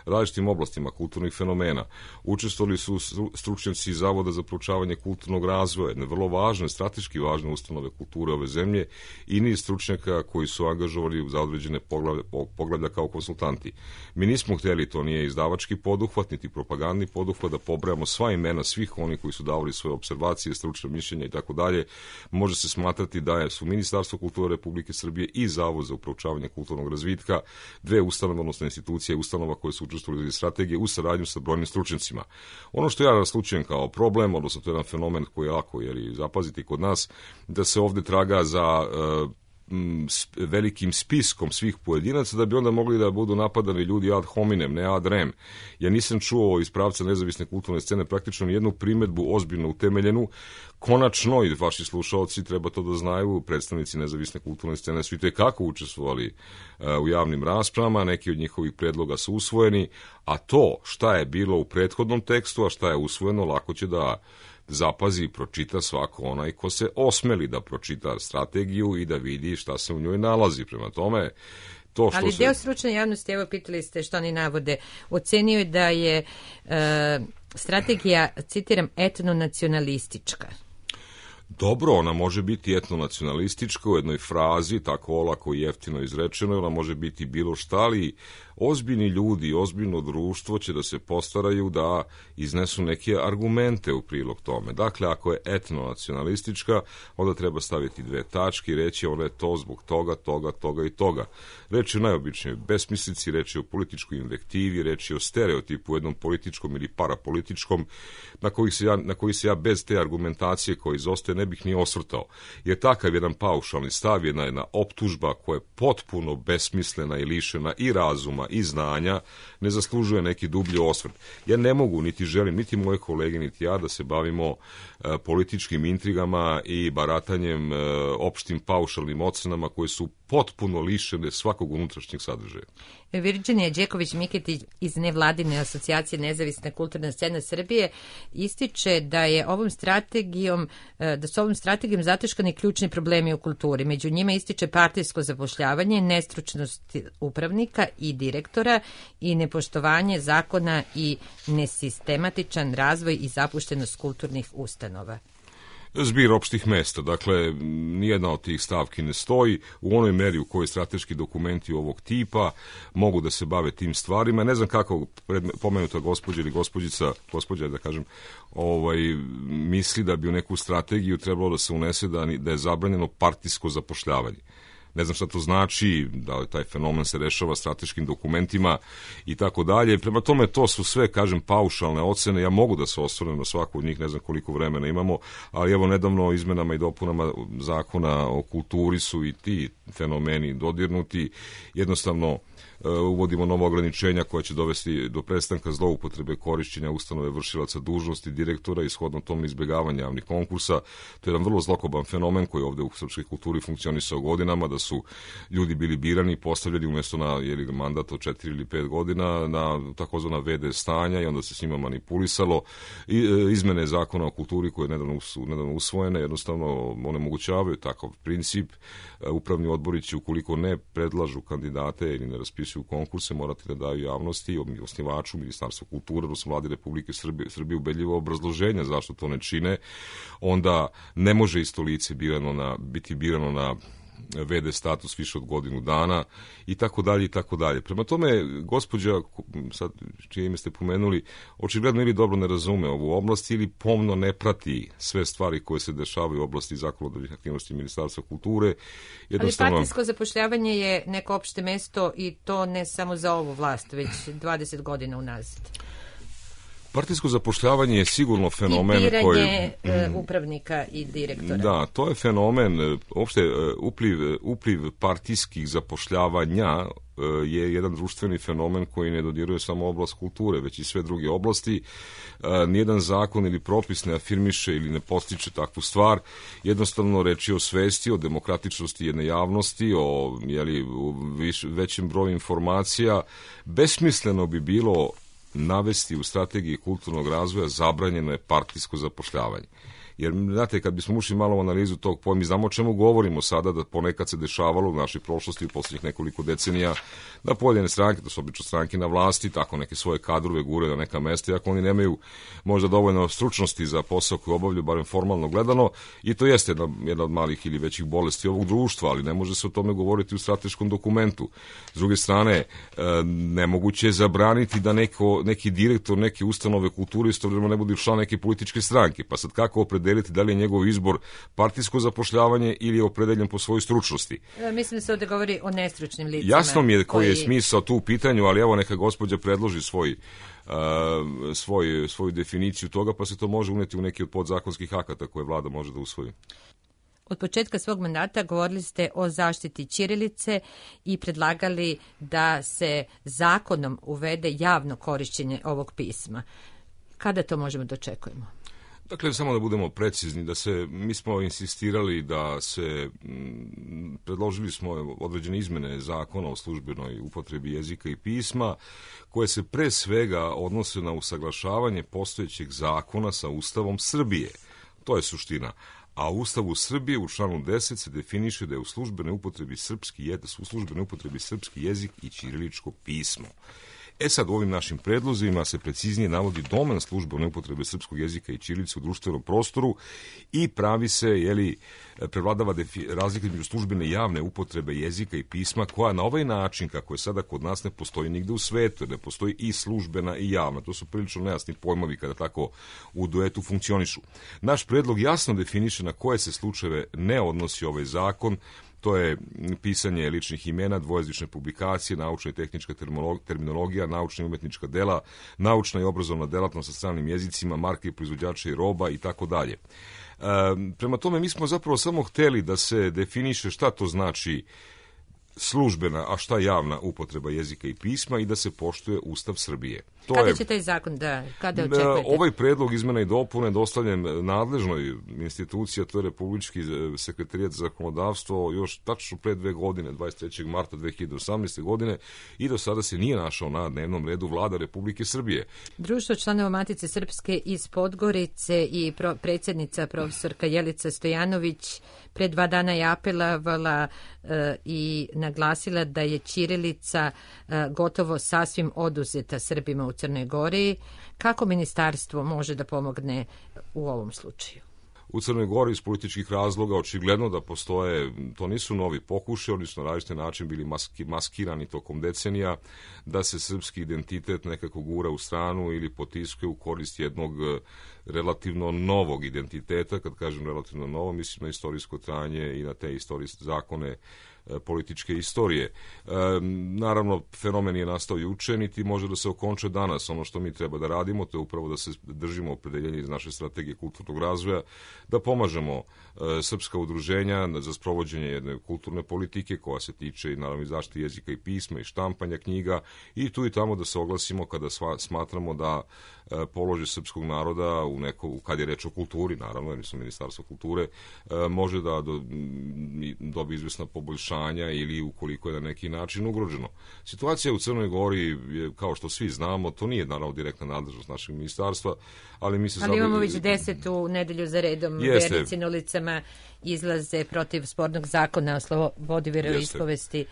različitim oblastima kulturnih fenomena. Učestvovali su stručnjaci Zavoda za proučavanje kulturnog razvoja, jedne vrlo važne, strateški važne ustanove kulture ove zemlje i niz stručnjaka koji su angažovali za određene poglavlja, poglavlja kao konsultanti. Mi nismo htjeli, to nije izdavački poduhvat, niti propagandni poduhvat, da pobrajamo sva imena svih oni koji su davali svoje observacije, stručne mišljenja i tako dalje. Može se smatrati da su Ministarstvo kulture Republike Srbije i Zavod za proučavanje kulturnog razvitka dve ustanove, odnosno institucije ustanova koje su učestvovali u strategiji u saradnju sa brojnim stručnjacima. Ono što ja naslučujem kao problem, odnosno to je jedan fenomen koji je lako jer zapaziti kod nas, da se ovde traga za uh, velikim spiskom svih pojedinaca da bi onda mogli da budu napadani ljudi ad hominem, ne ad rem. Ja nisam čuo iz pravca nezavisne kulturne scene praktično jednu primedbu ozbiljno utemeljenu. Konačno, i vaši slušalci treba to da znaju, predstavnici nezavisne kulturne scene su i tekako učestvovali uh, u javnim raspravama, neki od njihovih predloga su usvojeni, a to šta je bilo u prethodnom tekstu, a šta je usvojeno, lako će da zapazi i pročita svako onaj ko se osmeli da pročita strategiju i da vidi šta se u njoj nalazi. Prema tome, to što Ali se... deo stručne javnosti, evo pitali ste što oni navode, ocenio je da je e, strategija, citiram, etnonacionalistička. Dobro, ona može biti etnonacionalistička u jednoj frazi, tako olako i jeftino izrečeno, ona može biti bilo šta, ali ozbiljni ljudi, ozbiljno društvo će da se postaraju da iznesu neke argumente u prilog tome. Dakle, ako je etnonacionalistička, onda treba staviti dve tačke i reći ona je to zbog toga, toga, toga i toga. Reč je o najobičnijoj besmislici, reč je o političkoj invektivi, reč je o stereotipu, jednom političkom ili parapolitičkom, na koji se ja, na koji se ja bez te argumentacije koja izostaje ne bih ni osvrtao. Jer takav jedan paušalni stav, jedna, jedna optužba koja je potpuno besmislena i lišena i razuma i znanja, ne zaslužuje neki dublji osvrt. Ja ne mogu, niti želim, niti moje kolege, niti ja da se bavimo e, političkim intrigama i baratanjem e, opštim paušalnim ocenama koje su potpuno lišene svakog unutrašnjeg sadržaja. Virđenija Đeković-Miketić iz nevladine asocijacije Nezavisna kulturna scena Srbije ističe da je ovom strategijom, da su ovom strategijom zataškani ključni problemi u kulturi. Među njima ističe partijsko zapošljavanje, nestručnost upravnika i direktora i nepoštovanje zakona i nesistematičan razvoj i zapuštenost kulturnih ustanova. Zbir opštih mesta, dakle, nijedna od tih stavki ne stoji u onoj meri u kojoj strateški dokumenti ovog tipa mogu da se bave tim stvarima. Ne znam kako pomenuta gospođa ili gospođica, gospođa da kažem, ovaj, misli da bi u neku strategiju trebalo da se unese da, da je zabranjeno partijsko zapošljavanje. Ne znam šta to znači, da li taj fenomen se rešava strateškim dokumentima i tako dalje. Prema tome, to su sve, kažem, paušalne ocene. Ja mogu da se osvrnem na svaku od njih, ne znam koliko vremena imamo, ali evo nedavno izmenama i dopunama zakona o kulturi su i ti fenomeni dodirnuti. Jednostavno, uvodimo nova ograničenja koja će dovesti do prestanka zloupotrebe korišćenja ustanove vršilaca dužnosti direktora i shodno tom izbjegavanja javnih konkursa. To je jedan vrlo zlokoban fenomen koji ovde u srpskoj kulturi funkcionisao godinama, da su ljudi bili birani i postavljeni umjesto na jeli, mandat od četiri ili pet godina na takozvana ve de stanja i onda se s njima manipulisalo. I, e, izmene zakona o kulturi koje nedavno su nedavno usvojene jednostavno onemogućavaju takav princip. E, upravni odbori će, ukoliko ne predlažu kandidate ili ne raspisuju u konkurse, morati da daju javnosti, osnivaču, Ministarstvu kulture, odnosno Vladi Republike Srbije, Srbije ubedljivo obrazloženja zašto to ne čine, onda ne može isto lice birano na, biti birano na ve de status više od godinu dana i tako dalje i tako dalje. Prema tome, gospođa, sad čije ime ste pomenuli, očigledno ili dobro ne razume ovu oblast ili pomno ne prati sve stvari koje se dešavaju u oblasti zakonodavnih aktivnosti Ministarstva kulture. Jednostavno... Ali partijsko zapošljavanje je neko opšte mesto i to ne samo za ovu vlast, već dvadeset godina unazad. Partijsko zapošljavanje je sigurno fenomen koji... I biranje koji... upravnika i direktora. Da, to je fenomen, uopšte upliv, upliv partijskih zapošljavanja je jedan društveni fenomen koji ne dodiruje samo oblast kulture, već i sve druge oblasti. Nijedan zakon ili propis ne afirmiše ili ne postiče takvu stvar. Jednostavno reč je o svesti, o demokratičnosti jedne javnosti, o jeli, viš, većem broju informacija. Besmisleno bi bilo navesti u strategiji kulturnog razvoja zabranjeno je partijsko zapošljavanje. Jer, znate, kad bismo ušli malo u analizu tog pojma, mi znamo o čemu govorimo sada, da ponekad se dešavalo u našoj prošlosti u posljednjih nekoliko decenija da pojedine stranke, to su obično stranke na vlasti, tako neke svoje kadrove gure na neka mesta, iako oni nemaju možda dovoljno stručnosti za posao koji obavljaju, barem formalno gledano, i to jeste jedna, jedna od malih ili većih bolesti ovog društva, ali ne može se o tome govoriti u strateškom dokumentu. S druge strane, nemoguće je zabraniti da neko, neki direktor neke ustanove kulture istovremeno ne bude član neke političke stranke, pa sad kako opredeliti da li je njegov izbor partijsko zapošljavanje ili je opredeljen po svojoj stručnosti. E, mislim da se ovdje govori o nestručnim licima. Jasno mi je koji je smisao tu u pitanju, ali evo neka gospođa predloži svoj, uh, svoj, svoju definiciju toga, pa se to može uneti u neki od podzakonskih akata koje vlada može da usvoji. Od početka svog mandata govorili ste o zaštiti ćirilice i predlagali da se zakonom uvede javno korišćenje ovog pisma. Kada to možemo da očekujemo? Dakle, samo da budemo precizni, da se, mi smo insistirali da se, m, predložili smo određene izmene zakona o službenoj upotrebi jezika i pisma, koje se pre svega odnose na usaglašavanje postojećeg zakona sa Ustavom Srbije. To je suština. A u Ustavu Srbije u članu deset se definiše da je u službenoj upotrebi srpski jezik, u službenoj upotrebi srpski jezik i ćiriličko pismo. E sad, u ovim našim predlozima se preciznije navodi domen službene upotrebe srpskog jezika i ćirilice u društvenom prostoru i pravi se, jeli, prevladava razlika između službene i javne upotrebe jezika i pisma, koja na ovaj način, kako je sada kod nas, ne postoji nigde u svetu, ne postoji i službena i javna. To su prilično nejasni pojmovi kada tako u duetu funkcionišu. Naš predlog jasno definiše na koje se slučajeve ne odnosi ovaj zakon. To je pisanje ličnih imena, dvojezične publikacije, naučna i tehnička terminologija, naučna i umetnička dela, naučna i obrazovna delatnost sa stranim jezicima, marke proizvođača i roba i tako dalje. Prema tome, mi smo zapravo samo hteli da se definiše šta to znači službena, a šta javna upotreba jezika i pisma i da se poštuje Ustav Srbije. To kada je, će taj zakon da, kada očekujete? Ovaj predlog izmena i dopune dostavljen nadležnoj instituciji, a to je Republički sekretarijat za zakonodavstvo, još tačno pre dve godine, dvadeset trećeg marta dve hiljade osamnaeste. godine, i do sada se nije našao na dnevnom redu Vlada Republike Srbije. Društvo članova Matice Srpske iz Podgorice i pro, predsjednica profesorka Jelica Stojanović pre dva dana je apelovala e, i naglasila da je ćirilica e, gotovo sasvim oduzeta Srbima u Crnoj Gori. Kako ministarstvo može da pomogne u ovom slučaju? U Crnoj Gori iz političkih razloga očigledno da postoje, to nisu novi pokušaj, oni su na različite način bili maski, maskirani tokom decenija, da se srpski identitet nekako gura u stranu ili potiskuje u korist jednog relativno novog identiteta. Kad kažem relativno novo, mislim na istorijsko trajanje i na te istorijske zakone političke istorije. E, naravno, fenomen je nastao juče, niti može da se okonča danas. Ono što mi treba da radimo, to je upravo da se držimo opredeljenja iz naše strategije kulturnog razvoja, da pomažemo e, srpska udruženja za sprovođenje jedne kulturne politike koja se tiče i naravno i zaštite jezika i pisma i štampanja knjiga, i tu i tamo da se oglasimo kada sva, smatramo da e, položaj srpskog naroda u neko, kad je reč o kulturi, naravno, jer su Ministarstvo kulture, e, može da do, dobi izvesna poboljšanja ili ukoliko je na neki način ugroženo. Situacija u Crnoj Gori je, kao što svi znamo, to nije naravno direktna nadležnost našeg ministarstva, ali mi se... Ali imamo već desetu nedelju za redom, vernici na ulicama izlaze protiv spornog zakona o slobodi veroispovesti.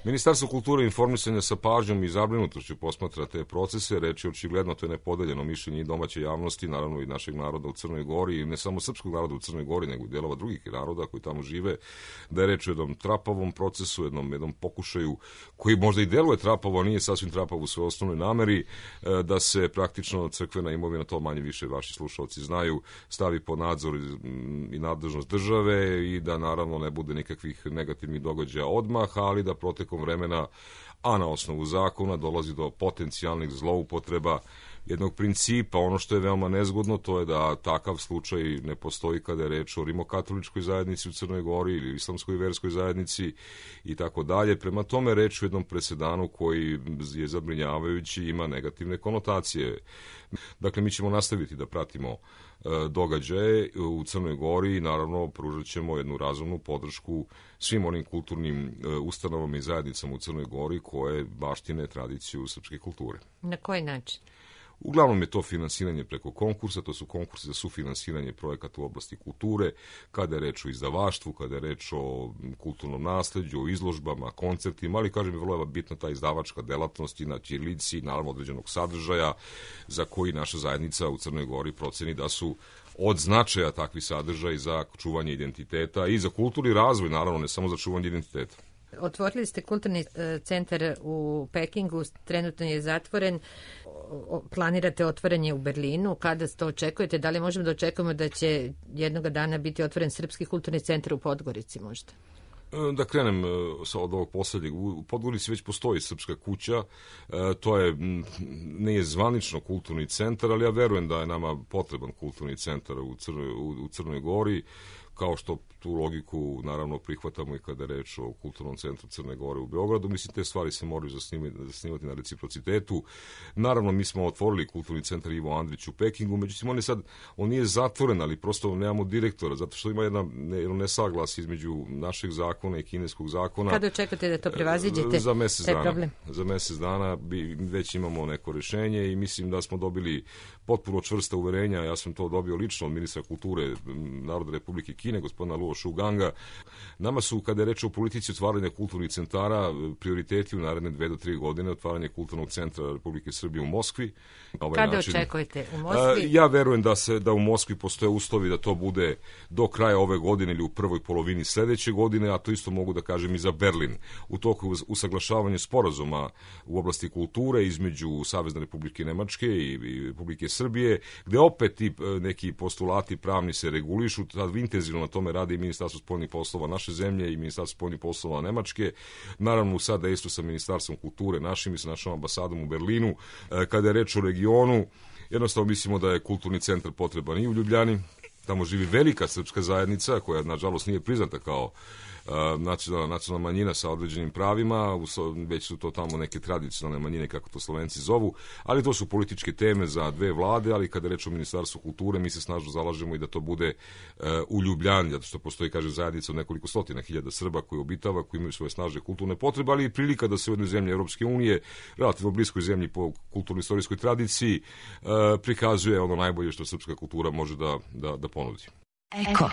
Ministarstvo kulture i informisanja sa pažnjom i zabrinutošću posmatra te procese, reći očigledno, to je nepodeljeno mišljenje i domaće javnosti, naravno i našeg naroda u Crnoj Gori, i ne samo srpskog naroda u Crnoj Gori, nego i delova drugih naroda koji tamo žive, da je reč o jednom trapavom procesu, jednom, jednom pokušaju koji možda i deluje trapavo, a nije sasvim trapavo u svojoj osnovnoj nameri, da se praktično crkvena imovina, to manje više vaši slušalci znaju, stavi pod nadzor i nadležnost države i da naravno ne bude nikakvih negativnih događaja odmah, ali da protekom vremena, a na osnovu zakona, dolazi do potencijalnih zloupotreba jednog principa. Ono što je veoma nezgodno, to je da takav slučaj ne postoji kada je reč o rimokatoličkoj zajednici u Crnoj Gori ili islamskoj verskoj zajednici i tako dalje. Prema tome, reč u jednom presedanu koji je zabrinjavajući, ima negativne konotacije. Dakle, mi ćemo nastaviti da pratimo događaje u Crnoj Gori i naravno pružat ćemo jednu razumnu podršku svim onim kulturnim ustanovama i zajednicama u Crnoj Gori koje baštine tradiciju srpske kulture. Na koji način? Uglavnom je to finansiranje preko konkursa, to su konkursi za sufinansiranje projekata u oblasti kulture, kada je reč o izdavaštvu, kada je reč o kulturnom nasleđu, o izložbama, koncertima, ali kažem je vrlo bitna ta izdavačka delatnost i na ćirilici, naravno određenog sadržaja za koji naša zajednica u Crnoj Gori proceni da su od značaja takvi sadržaj za čuvanje identiteta i za kulturni razvoj, naravno ne samo za čuvanje identiteta. Otvorili ste kulturni centar u Pekingu, trenutno je zatvoren, planirate otvaranje u Berlinu, kada to očekujete? Da li možemo da očekujemo da će jednoga dana biti otvoren Srpski kulturni centar u Podgorici možda? Da krenem od ovog poslednjeg. U Podgorici već postoji Srpska kuća, to je, nije zvanično kulturni centar, ali ja verujem da je nama potreban kulturni centar u Crnoj, u Crnoj Gori, kao što tu logiku naravno prihvatamo i kada je reč o kulturnom centru Crne Gore u Beogradu. Mislim, te stvari se moraju zasnivati na reciprocitetu. Naravno, mi smo otvorili kulturni centar Ivo Andrić u Pekingu, međutim, on je sad, on nije zatvoren, ali prosto nemamo direktora, zato što ima jedna, jedno nesaglas između našeg zakona i kineskog zakona. Kada očekate da to prevaziđete? Za mesec dana. Problem? Za mesec dana bi, već imamo neko rešenje i mislim da smo dobili potpuno čvrsta uverenja. Ja sam to dobio lično od ministra kulture Narodne Republike Kine, gospodina Luo Shuganga. Nama su, kada je reč o politici otvaranja kulturnih centara, prioriteti u naredne dve do tri godine otvaranje kulturnog centra Republike Srbije u Moskvi. Ovaj Kada način, očekujete u Moskvi? Ja verujem da se da u Moskvi postoje uslovi da to bude do kraja ove godine ili u prvoj polovini sledeće godine, a to isto mogu da kažem i za Berlin. U toku usaglašavanja sporazuma u oblasti kulture između Savezne Republike Nemačke i Republike Srbije, gde opet ti neki postulati pravni se regulišu, sad intenzivno na tome radi i Ministarstvo spoljnih poslova naše zemlje i Ministarstvo spoljnih poslova Nemačke, naravno sad dejstvo sa Ministarstvom kulture našim i sa našom ambasadom u Berlinu. Kada je reč o regionu, jednostavno mislimo da je kulturni centar potreban i u Ljubljani, tamo živi velika srpska zajednica koja nažalost nije priznata kao nacionalna, nacionalna manjina sa određenim pravima, već su to tamo neke tradicionalne manjine, kako to Slovenci zovu, ali to su političke teme za dve vlade, ali kada reč o Ministarstvu kulture, mi se snažno zalažemo i da to bude u Ljubljani, zato što postoji, kaže, zajednica od nekoliko stotina hiljada Srba koji obitava, koji imaju svoje snažne kulturne potrebe, ali i prilika da se u jednoj zemlji Evropske unije, relativno bliskoj zemlji po kulturno-istorijskoj tradiciji, prikazuje ono najbolje što srpska kultura može da, da, da ponudi. Eko.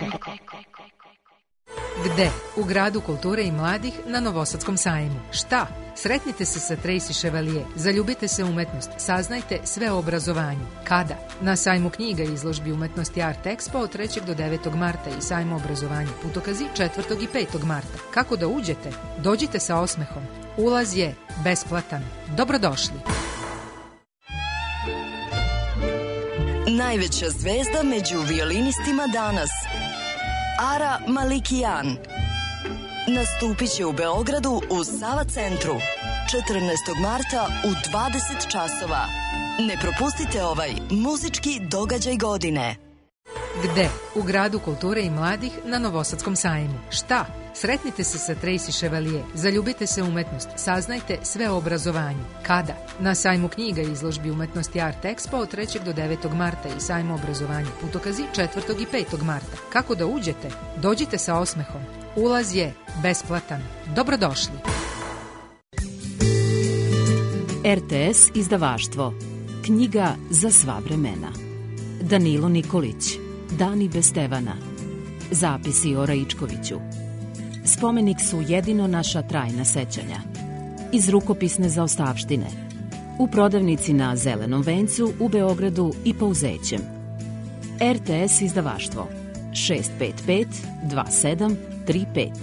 Gde? U gradu kulture i mladih na Novosadskom sajmu. Šta? Sretnite se sa Tracy Chevalier, zaljubite se u umetnost, saznajte sve o obrazovanju. Kada? Na sajmu knjiga i izložbi umetnosti Art Expo od trećeg do devetog marta i sajmu obrazovanja Putokazi četvrtog i petog marta. Kako da uđete? Dođite sa osmehom. Ulaz je besplatan. Dobrodošli. Najveća zvezda među violinistima danas, Ara Malikian, nastupit će u Beogradu u Sava centru četrnaestog marta u dvadeset časova. Ne propustite ovaj muzički događaj godine. Gde? U gradu kulture i mladih na Novosadskom sajmu. Šta? Sretnite se sa Tracy Chevalier, zaljubite se u umetnost, saznajte sve o obrazovanju. Kada? Na sajmu knjiga i izložbi umetnosti Art Expo od trećeg do devetog marta i sajmu obrazovanja Putokazi četvrtog i petog marta. Kako da uđete? Dođite sa osmehom. Ulaz je besplatan. Dobrodošli. R T S izdavaštvo. Knjiga za sva vremena. Danilo Nikolić. Dani bez Stevana. Zapisi o Raičkoviću. Spomenik su jedino naša trajna sećanja. iz rukopisne zaostavštine. U prodavnici na Zelenom vencu u Beogradu i Pouzećem. R T S izdavaštvo šest pet pet dva sedam tri pet.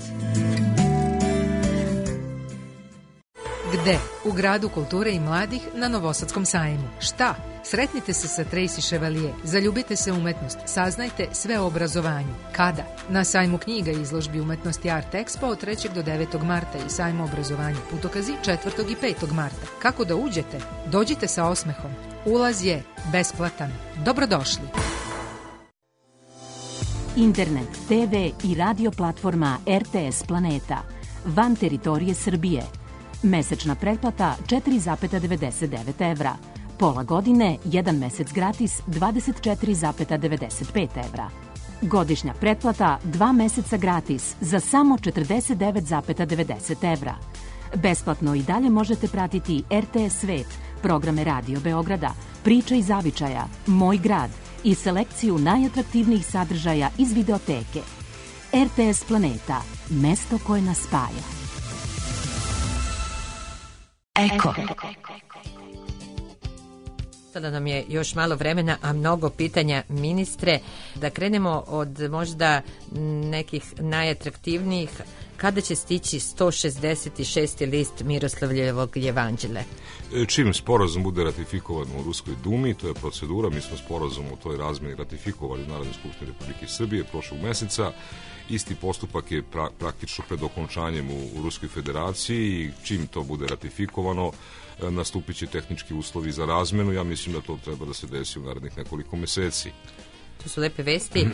Gde? U gradu kulture i mladih na Novosadskom sajmu. Šta? Sretnite se sa Tracy Chevalier, zaljubite se u umetnost, saznajte sve o obrazovanju. Kada? Na sajmu knjiga i izložbi umetnosti Art Expo od trećeg do devetog marta i sajmu obrazovanja Putokazi četvrtog i petog marta. Kako da uđete? Dođite sa osmehom. Ulaz je besplatan. Dobrodošli. Internet, te ve i radio platforma R T S Planeta. Van teritorije Srbije. Mesečna pretplata četiri zarez devedeset devet evra. Pola godine, jedan mesec gratis, dvadeset četiri zarez devedeset pet evra. Godišnja pretplata, dva meseca gratis, za samo četrdeset devet zarez devedeset evra. Besplatno i dalje možete pratiti R T S Svet, programe Radio Beograda, Priča i zavičaja, Moj grad i selekciju najatraktivnijih sadržaja iz videoteke. R T S Planeta, mesto koje nas spaja. Eko. Sada nam je još malo vremena, a mnogo pitanja, ministre. Da krenemo od možda nekih najatraktivnijih. Kada će stići sto šezdeset šesti list Miroslavljevog jevanđelja? Čim sporazum bude ratifikovan u Ruskoj dumi, to je procedura, mi smo sporazum u toj razmeni ratifikovali u Narodnoj skupštini Republike Srbije prošlog meseca. Isti postupak je pra, praktično pred okončanjem u, u Ruskoj federaciji i čim to bude ratifikovano, nastupit će tehnički uslovi za razmenu. Ja mislim da to treba da se desi u narednih nekoliko meseci. To su lepe vesti,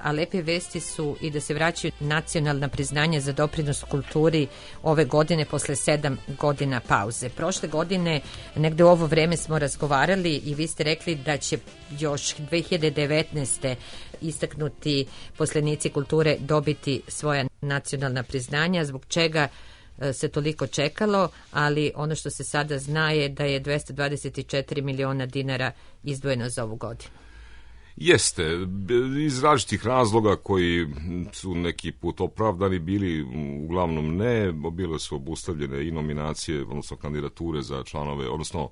a lepe vesti su i da se vraćaju nacionalna priznanja za doprinos kulturi ove godine posle sedam godina pauze. Prošle godine, negde u ovo vreme smo razgovarali i vi ste rekli da će još dve hiljade devetnaeste. istaknuti poslenici kulture dobiti svoja nacionalna priznanja, zbog čega se toliko čekalo, ali ono što se sada zna je da je dvesta dvadeset četiri miliona dinara izdvojeno za ovu godinu. Jeste, iz različitih razloga koji su neki put opravdani bili, uglavnom ne, bile su obustavljene i nominacije, odnosno kandidature za članove, odnosno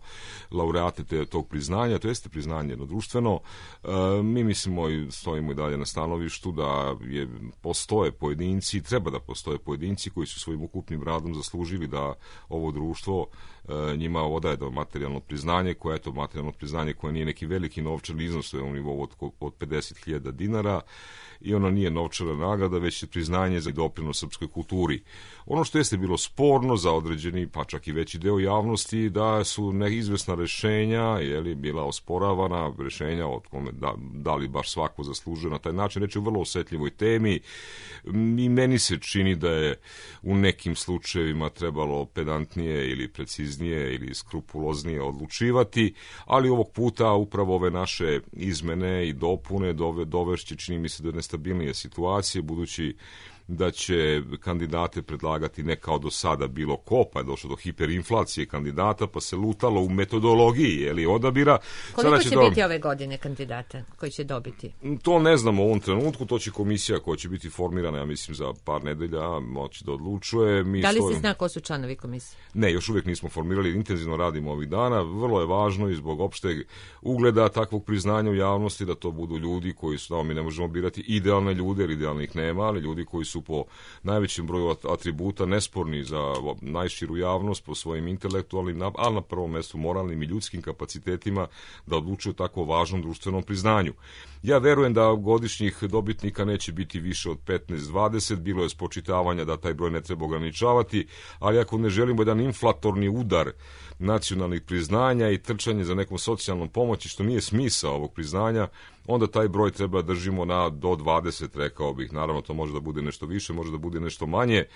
laureate te, tog priznanja, to jeste priznanje jedno društveno. E, mi mislimo i stojimo i dalje na stanovištu da je, postoje pojedinci, treba da postoje pojedinci koji su svojim ukupnim radom zaslužili da ovo društvo e, njima odaje da materijalno priznanje, koje je to materijalno priznanje koje nije neki veliki novčani iznos, to je u nivou od od pedeset hiljada dinara i ono nije novčana nagrada, već je priznanje za doprinos srpskoj kulturi. Ono što jeste bilo sporno za određeni, pa čak i veći deo javnosti, da su neizvesna rešenja, je li bila osporavana, rešenja od kome da, da li baš svako zaslužuje na taj način. Reč je o vrlo osetljivoj temi i meni se čini da je u nekim slučajevima trebalo pedantnije ili preciznije ili skrupuloznije odlučivati, ali ovog puta upravo ove naše izmene i dopune dove, dovešće, čini mi se, do nestabilnije situacije, budući da će kandidate predlagati ne kao do sada bilo ko, pa je došlo do hiperinflacije kandidata, pa se lutalo u metodologiji, je li, odabira. Koliko Sada će, će će biti do... ove godine kandidata koji će dobiti? To ne znamo u ovom trenutku, to će komisija koja će biti formirana, ja mislim, za par nedelja moći da odlučuje. Mi da li stojim... se zna ko su članovi komisije? Ne, još uvijek nismo formirali, intenzivno radimo ovih dana. Vrlo je važno i zbog opšteg ugleda takvog priznanja u javnosti da to budu ljudi koji su, da, mi ne možemo birati idealne ljude, jer idealnih nema, ali ljudi koji su po najvećem broju atributa nesporni za najširu javnost po svojim intelektualnim, ali na prvom mestu moralnim i ljudskim kapacitetima da odlučuju tako važnom društvenom priznanju. Ja verujem da godišnjih dobitnika neće biti više od petnaest dvadeset, bilo je spočitavanja da taj broj ne treba ograničavati, ali ako ne želimo jedan inflatorni udar nacionalnih priznanja i trčanje za nekom socijalnom pomoći, što nije smisao ovog priznanja, onda taj broj treba držimo na do dvadeset, rekao bih. Naravno, to može da bude nešto više, može da bude nešto manje. E,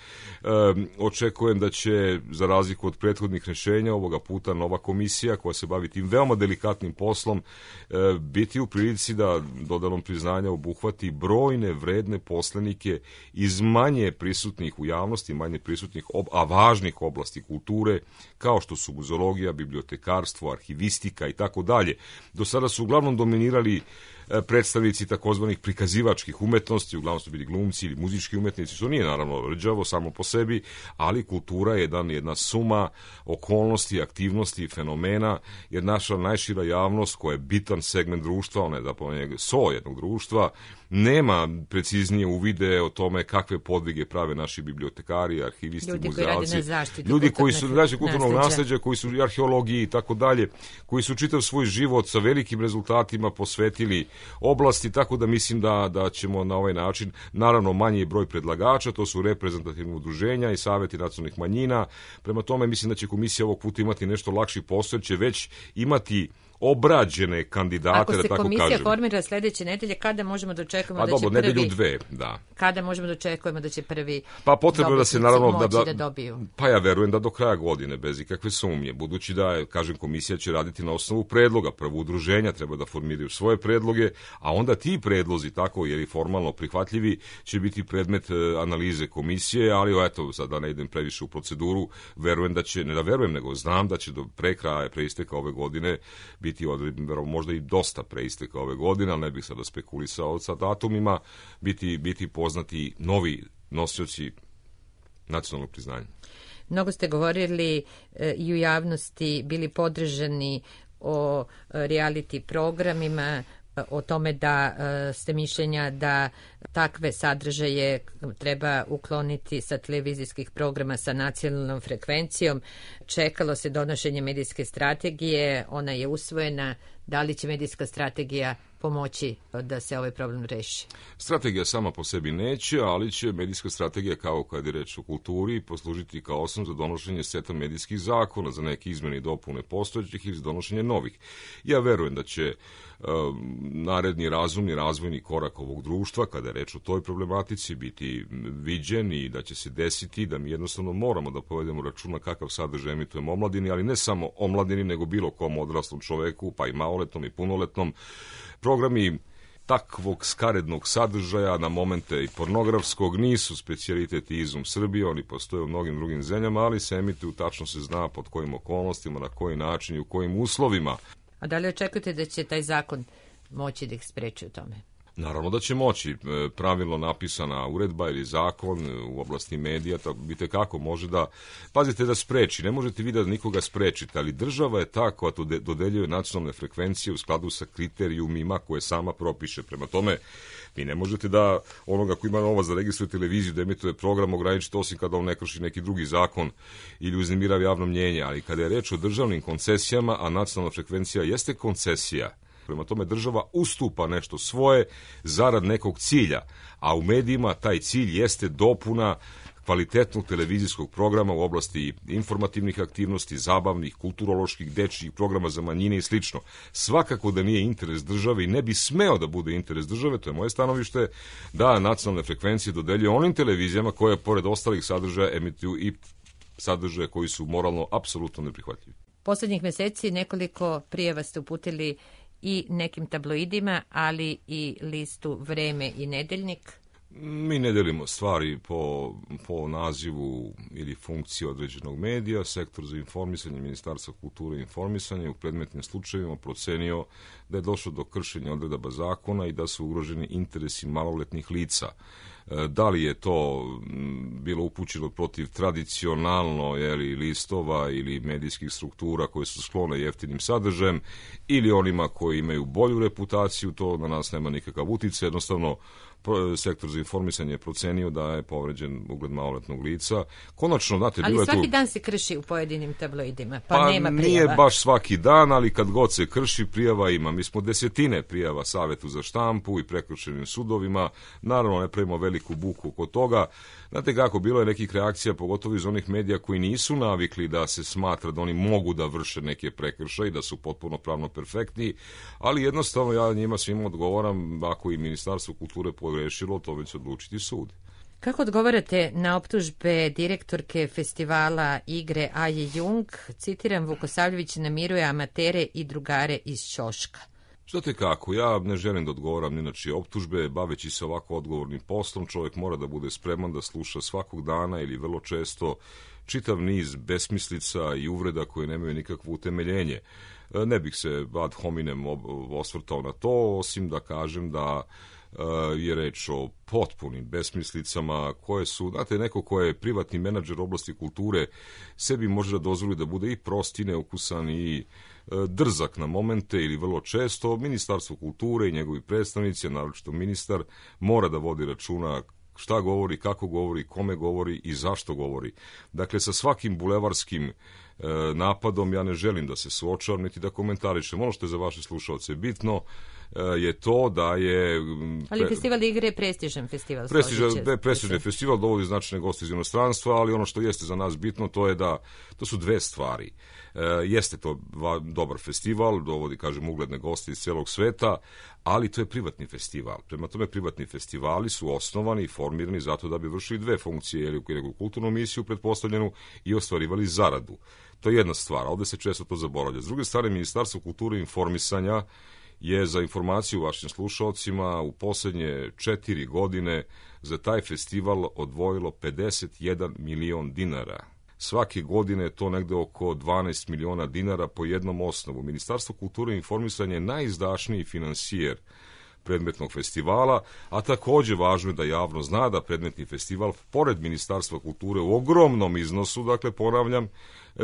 očekujem da će, za razliku od prethodnih rešenja, ovoga puta nova komisija koja se bavi tim veoma delikatnim poslom, e, biti u prilici da dodanom priznanja obuhvati brojne vredne poslenike iz manje prisutnih u javnosti, manje prisutnih, ob, a važnih oblasti kulture, kao što su muzologija, bibliotekarstvo, arhivistika i tako dalje. Do sada su uglavnom dominirali predstavnici takozvanih prikazivačkih umetnosti, uglavnom su bili glumci ili muzički umetnici, što nije naravno rđavo samo po sebi, ali kultura je jedan, jedna suma okolnosti, aktivnosti, fenomena, jer naša najšira javnost koja je bitan segment društva, ona je zapravo so jednog društva, nema preciznije uvide o tome kakve podvige prave naši bibliotekari, arhivisti, ljudi muzealci, koji ljudi koji su znači kulturnog nasleđa. nasleđa, koji su arheologiji i tako dalje, koji su čitav svoj život sa velikim rezultatima posvetili oblasti, tako da mislim da, da ćemo na ovaj način, naravno manji broj predlagača, to su reprezentativne udruženja i saveti nacionalnih manjina, prema tome mislim da će komisija ovog puta imati nešto lakši posao, jer će već imati obrađene kandidate, ako da tako kažem. Ako se komisija formira sljedeće nedelje, kada možemo da očekujemo pa, da dobro, će prvi... nedelju dve, da. Kada možemo da očekujemo da će prvi pa potrebno da se naravno moći da, da, da dobiju? Pa ja verujem da do kraja godine, bez ikakve sumnje, budući da, kažem, komisija će raditi na osnovu predloga. Prvo udruženja treba da formiraju svoje predloge, a onda ti predlozi, tako jer i formalno prihvatljivi, će biti predmet analize komisije, ali eto, sad da ne idem previše u proceduru, verujem da će, ne da verujem, nego znam da će do pre kraja, pre isteka ove godine biti odredno, možda i dosta pre isteka ove godine, ali ne bih sada spekulisao sa datumima, biti, biti poznati novi nosioci nacionalnog priznanja. Mnogo ste govorili e, i u javnosti, bili podržani o e, reality programima, o tome da e, ste mišljenja da takve sadržaje treba ukloniti sa televizijskih programa sa nacionalnom frekvencijom. Čekalo se donošenje medijske strategije, ona je usvojena. Da li će medijska strategija pomoći da se ovaj problem reši? Strategija sama po sebi neće, ali će medijska strategija, kao kad je reč o kulturi, poslužiti kao osnov za donošenje seta medijskih zakona, za neke izmene i dopune postojećih ili za donošenje novih. Ja verujem da će um, naredni razumni razvojni korak ovog društva, kada je reč o toj problematici, biti viđen i da će se desiti da mi jednostavno moramo da povedemo računa kakav sadržaj emitujemo omladini, ali ne samo omladini, nego bilo kom odraslom čoveku, pa i maloletnom i punoletnom. Programi takvog skarednog sadržaja, na momente i pornografskog, nisu specijalitet i izum Srbije, oni postoje u mnogim drugim zemljama, ali se emituju, tačno se zna pod kojim okolnostima, na koji način i u kojim uslovima. A da li očekujete da će taj zakon moći da ih spreči u tome? Naravno da će moći. Pravilno napisana uredba ili zakon u oblasti medija, tako vidite kako može da, pazite, da spreči. Ne možete vi da nikoga sprečite, ali država je ta koja dodeljuje nacionalne frekvencije u skladu sa kriterijumima koje sama propiše. Prema tome, vi ne možete da onoga koji ima novac da registruje televiziju, da emituje program, ograničiti osim kada on ne krši neki drugi zakon ili uznemirava javno mnjenje. Ali kada je reč o državnim koncesijama, a nacionalna frekvencija jeste koncesija, prema tome država ustupa nešto svoje zarad nekog cilja, a u medijima taj cilj jeste dopuna kvalitetnog televizijskog programa u oblasti informativnih aktivnosti, zabavnih, kulturoloških, dečjih programa za manjine i slično. Svakako da nije interes države i ne bi smeo da bude interes države, to je moje stanovište, da nacionalne frekvencije dodeljuje onim televizijama koje pored ostalih sadržaja emituju i sadržaje koji su moralno apsolutno neprihvatljivi. Poslednjih meseci nekoliko prijava ste uputili i nekim tabloidima, ali i listu Vreme i Nedeljnik. Mi ne delimo stvari po, po nazivu ili funkciji određenog medija. Sektor za informisanje Ministarstva kulture i informisanja u predmetnim slučajevima procenio da je došlo do kršenja odredaba zakona i da su ugroženi interesi maloletnih lica. Da li je to bilo upućeno protiv tradicionalno jeli, listova ili medijskih struktura koje su sklone jeftinim sadržajem ili onima koji imaju bolju reputaciju, to na nas nema nikakav uticaj. Jednostavno, sektor za informisanje je procenio da je povređen ugled maloletnog lica. Konačno, znate, ali bilo je tu... svaki dan se krši u pojedinim tabloidima, pa, pa nema prijava. Nije baš svaki dan, ali kad god se krši, prijava ima. Mi smo desetine prijava Savetu za štampu i prekršenim sudovima. Naravno, ne pravimo veliku buku oko toga. Znate kako, bilo je nekih reakcija, pogotovo iz onih medija koji nisu navikli da se smatra da oni mogu da vrše neke prekršaje, da su potpuno pravno perfektni, ali jednostavno ja njima svima odgovaram, ako i Ministarstvo kulture pogrešilo, to već odlučiti sud. Kako odgovarate na optužbe direktorke festivala igre Aje Jung? Citiram, Vukosavljević namiruje amatere i drugare iz ćoška. Znate kako, ja ne želim da odgovaram ni na čije optužbe, baveći se ovako odgovornim poslom, čovjek mora da bude spreman da sluša svakog dana ili vrlo često čitav niz besmislica i uvreda koje nemaju nikakvo utemeljenje. Ne bih se ad hominem osvrtao na to, osim da kažem da je reč o potpunim besmislicama koje su, znate, neko ko je privatni menadžer oblasti kulture sebi može da dozvoli da bude i prost i neukusan i drzak na momente ili vrlo često. Ministarstvo kulture i njegovi predstavnici, naročito ministar, mora da vodi računa šta govori, kako govori, kome govori i zašto govori. Dakle, sa svakim bulevarskim e, napadom ja ne želim da se suočavam niti da komentarišem. Ono što je za vaše slušalce bitno e, je to da je... Ali pre... festival igre je prestižan festival. Prestižan, prestižan festival, dovodi značajne goste iz inostranstva, ali ono što jeste za nas bitno to je da to su dve stvari. E, jeste to va, dobar festival, dovodi, kažem, ugledne goste iz celog sveta, ali to je privatni festival. Prema tome, privatni festivali su osnovani i formirani zato da bi vršili dve funkcije, ili u kulturnu misiju pretpostavljenu i ostvarivali zaradu. To je jedna stvar, a ovde se često to zaboravlja. S druge strane, Ministarstvo kulture i informisanja je za informaciju vašim slušalcima u poslednje četiri godine za taj festival odvojilo pedeset jedan milion dinara. Svake godine je to negde oko dvanaest miliona dinara po jednom osnovu. Ministarstvo kulture i informisanja je najizdašniji finansijer predmetnog festivala, a takođe važno je da javno zna da predmetni festival, pored Ministarstva kulture, u ogromnom iznosu, dakle ponavljam,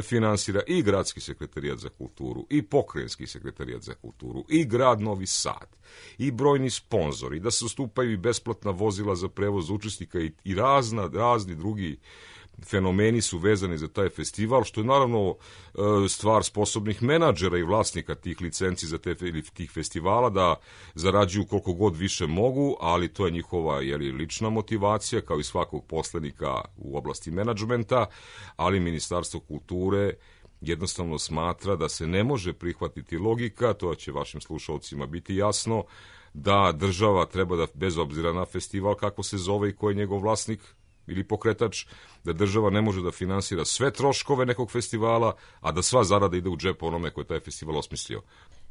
finansira i Gradski sekretarijat za kulturu, i Pokrajinski sekretarijat za kulturu, i grad Novi Sad, i brojni sponzori, da se ustupaju i besplatna vozila za prevoz učesnika i, i razna, razni drugi fenomeni su vezani za taj festival, što je naravno stvar sposobnih menadžera i vlasnika tih licenci za te, ili tih festivala da zarađuju koliko god više mogu, ali to je njihova jeli, lična motivacija, kao i svakog poslenika u oblasti menadžmenta, ali Ministarstvo kulture jednostavno smatra da se ne može prihvatiti logika, to će vašim slušalcima biti jasno, da država treba da, bez obzira na festival kako se zove i ko je njegov vlasnik ili pokretač, da država ne može da finansira sve troškove nekog festivala, a da sva zarada ide u džep onome koji je taj festival osmislio.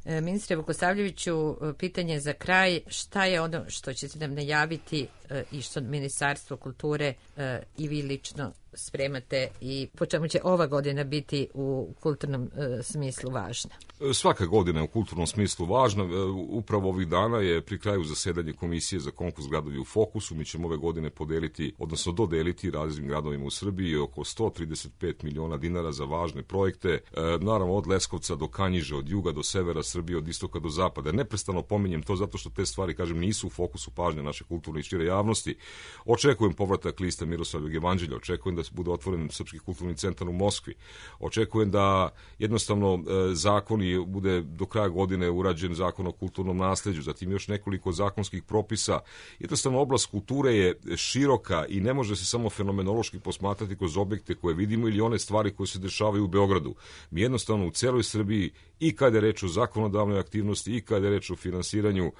E, ministre Vukosavljeviću, pitanje za kraj, šta je ono što ćete nam najaviti e, i što Ministarstvo kulture e, i vi lično spremate i po čemu će ova godina biti u kulturnom e, smislu važna? Svaka godina je u kulturnom smislu važna. Upravo ovih dana je pri kraju zasedanje Komisije za konkurs gradovi u fokusu. Mi ćemo ove godine podeliti, odnosno dodeliti raznim gradovima u Srbiji oko sto trideset pet miliona dinara za važne projekte. E, naravno od Leskovca do Kanjiže, od juga do severa Srbije, od istoka do zapada. Neprestano pominjem to zato što te stvari, kažem, nisu u fokusu pažnje naše kulturne i šire javnosti. Očekujem povratak lista Miroslavljeg evanđelja, očekujem da bude otvoren Srpski kulturni centar u Moskvi. Očekujem da jednostavno e, zakoni bude do kraja godine urađen zakon o kulturnom nasleđu, zatim još nekoliko zakonskih propisa. Jednostavno oblast kulture je široka i ne može se samo fenomenološki posmatrati kroz objekte koje vidimo ili one stvari koje se dešavaju u Beogradu. Mi jednostavno u celoj Srbiji i kada je reč o zakonodavnoj aktivnosti i kada je reč o finansiranju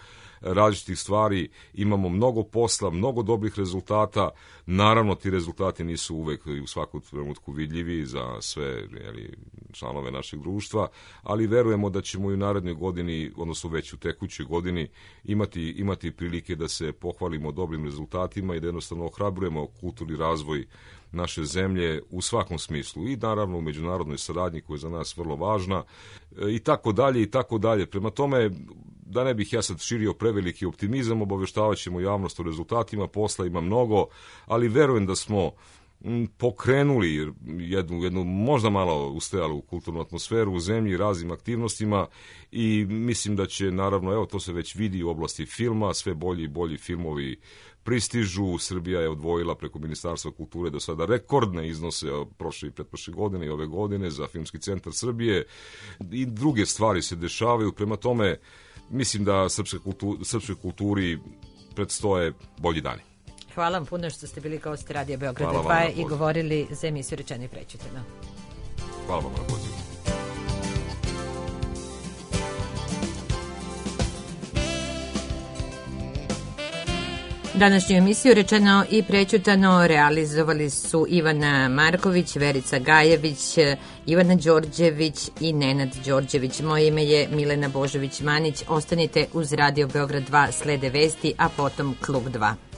različitih stvari imamo mnogo posla, mnogo dobrih rezultata. Naravno, ti rezultati nisu uvek i u svakom trenutku vidljivi za sve jeli, članove našeg društva, ali verujemo da ćemo i u narednoj godini, odnosno već u tekućoj godini, imati, imati prilike da se pohvalimo dobrim rezultatima i da jednostavno ohrabrujemo kulturni razvoj naše zemlje u svakom smislu i naravno u međunarodnoj saradnji koja je za nas vrlo važna i tako dalje i tako dalje. Prema tome, da ne bih ja sad širio preveliki optimizam, obaveštavat ćemo javnost o rezultatima, posla ima mnogo, ali verujem da smo pokrenuli jednu, jednu možda malo ustajalu kulturnu atmosferu u zemlji raznim aktivnostima i mislim da će naravno, evo to se već vidi u oblasti filma, sve bolji i bolji filmovi pristižu. Srbija je odvojila preko Ministarstva kulture do sada rekordne iznose prošle i pretprošle godine i ove godine za Filmski centar Srbije i druge stvari se dešavaju. Prema tome, mislim da srpskoj kulturi, srpskoj kulturi predstoje bolji dani. Hvala vam puno što ste bili gosti Radija Beograda dva i govorili za emisiju Rečeno i prećutano. Hvala vam na pozivu. Današnju emisiju Rečeno i prećutano realizovali su Ivana Marković, Verica Gajević Ivana Đorđević i Nenad Đorđević. Moje ime je Milena Božović-Manić. Ostanite uz Radio Beograd dva, slede vesti, a potom Klub dva.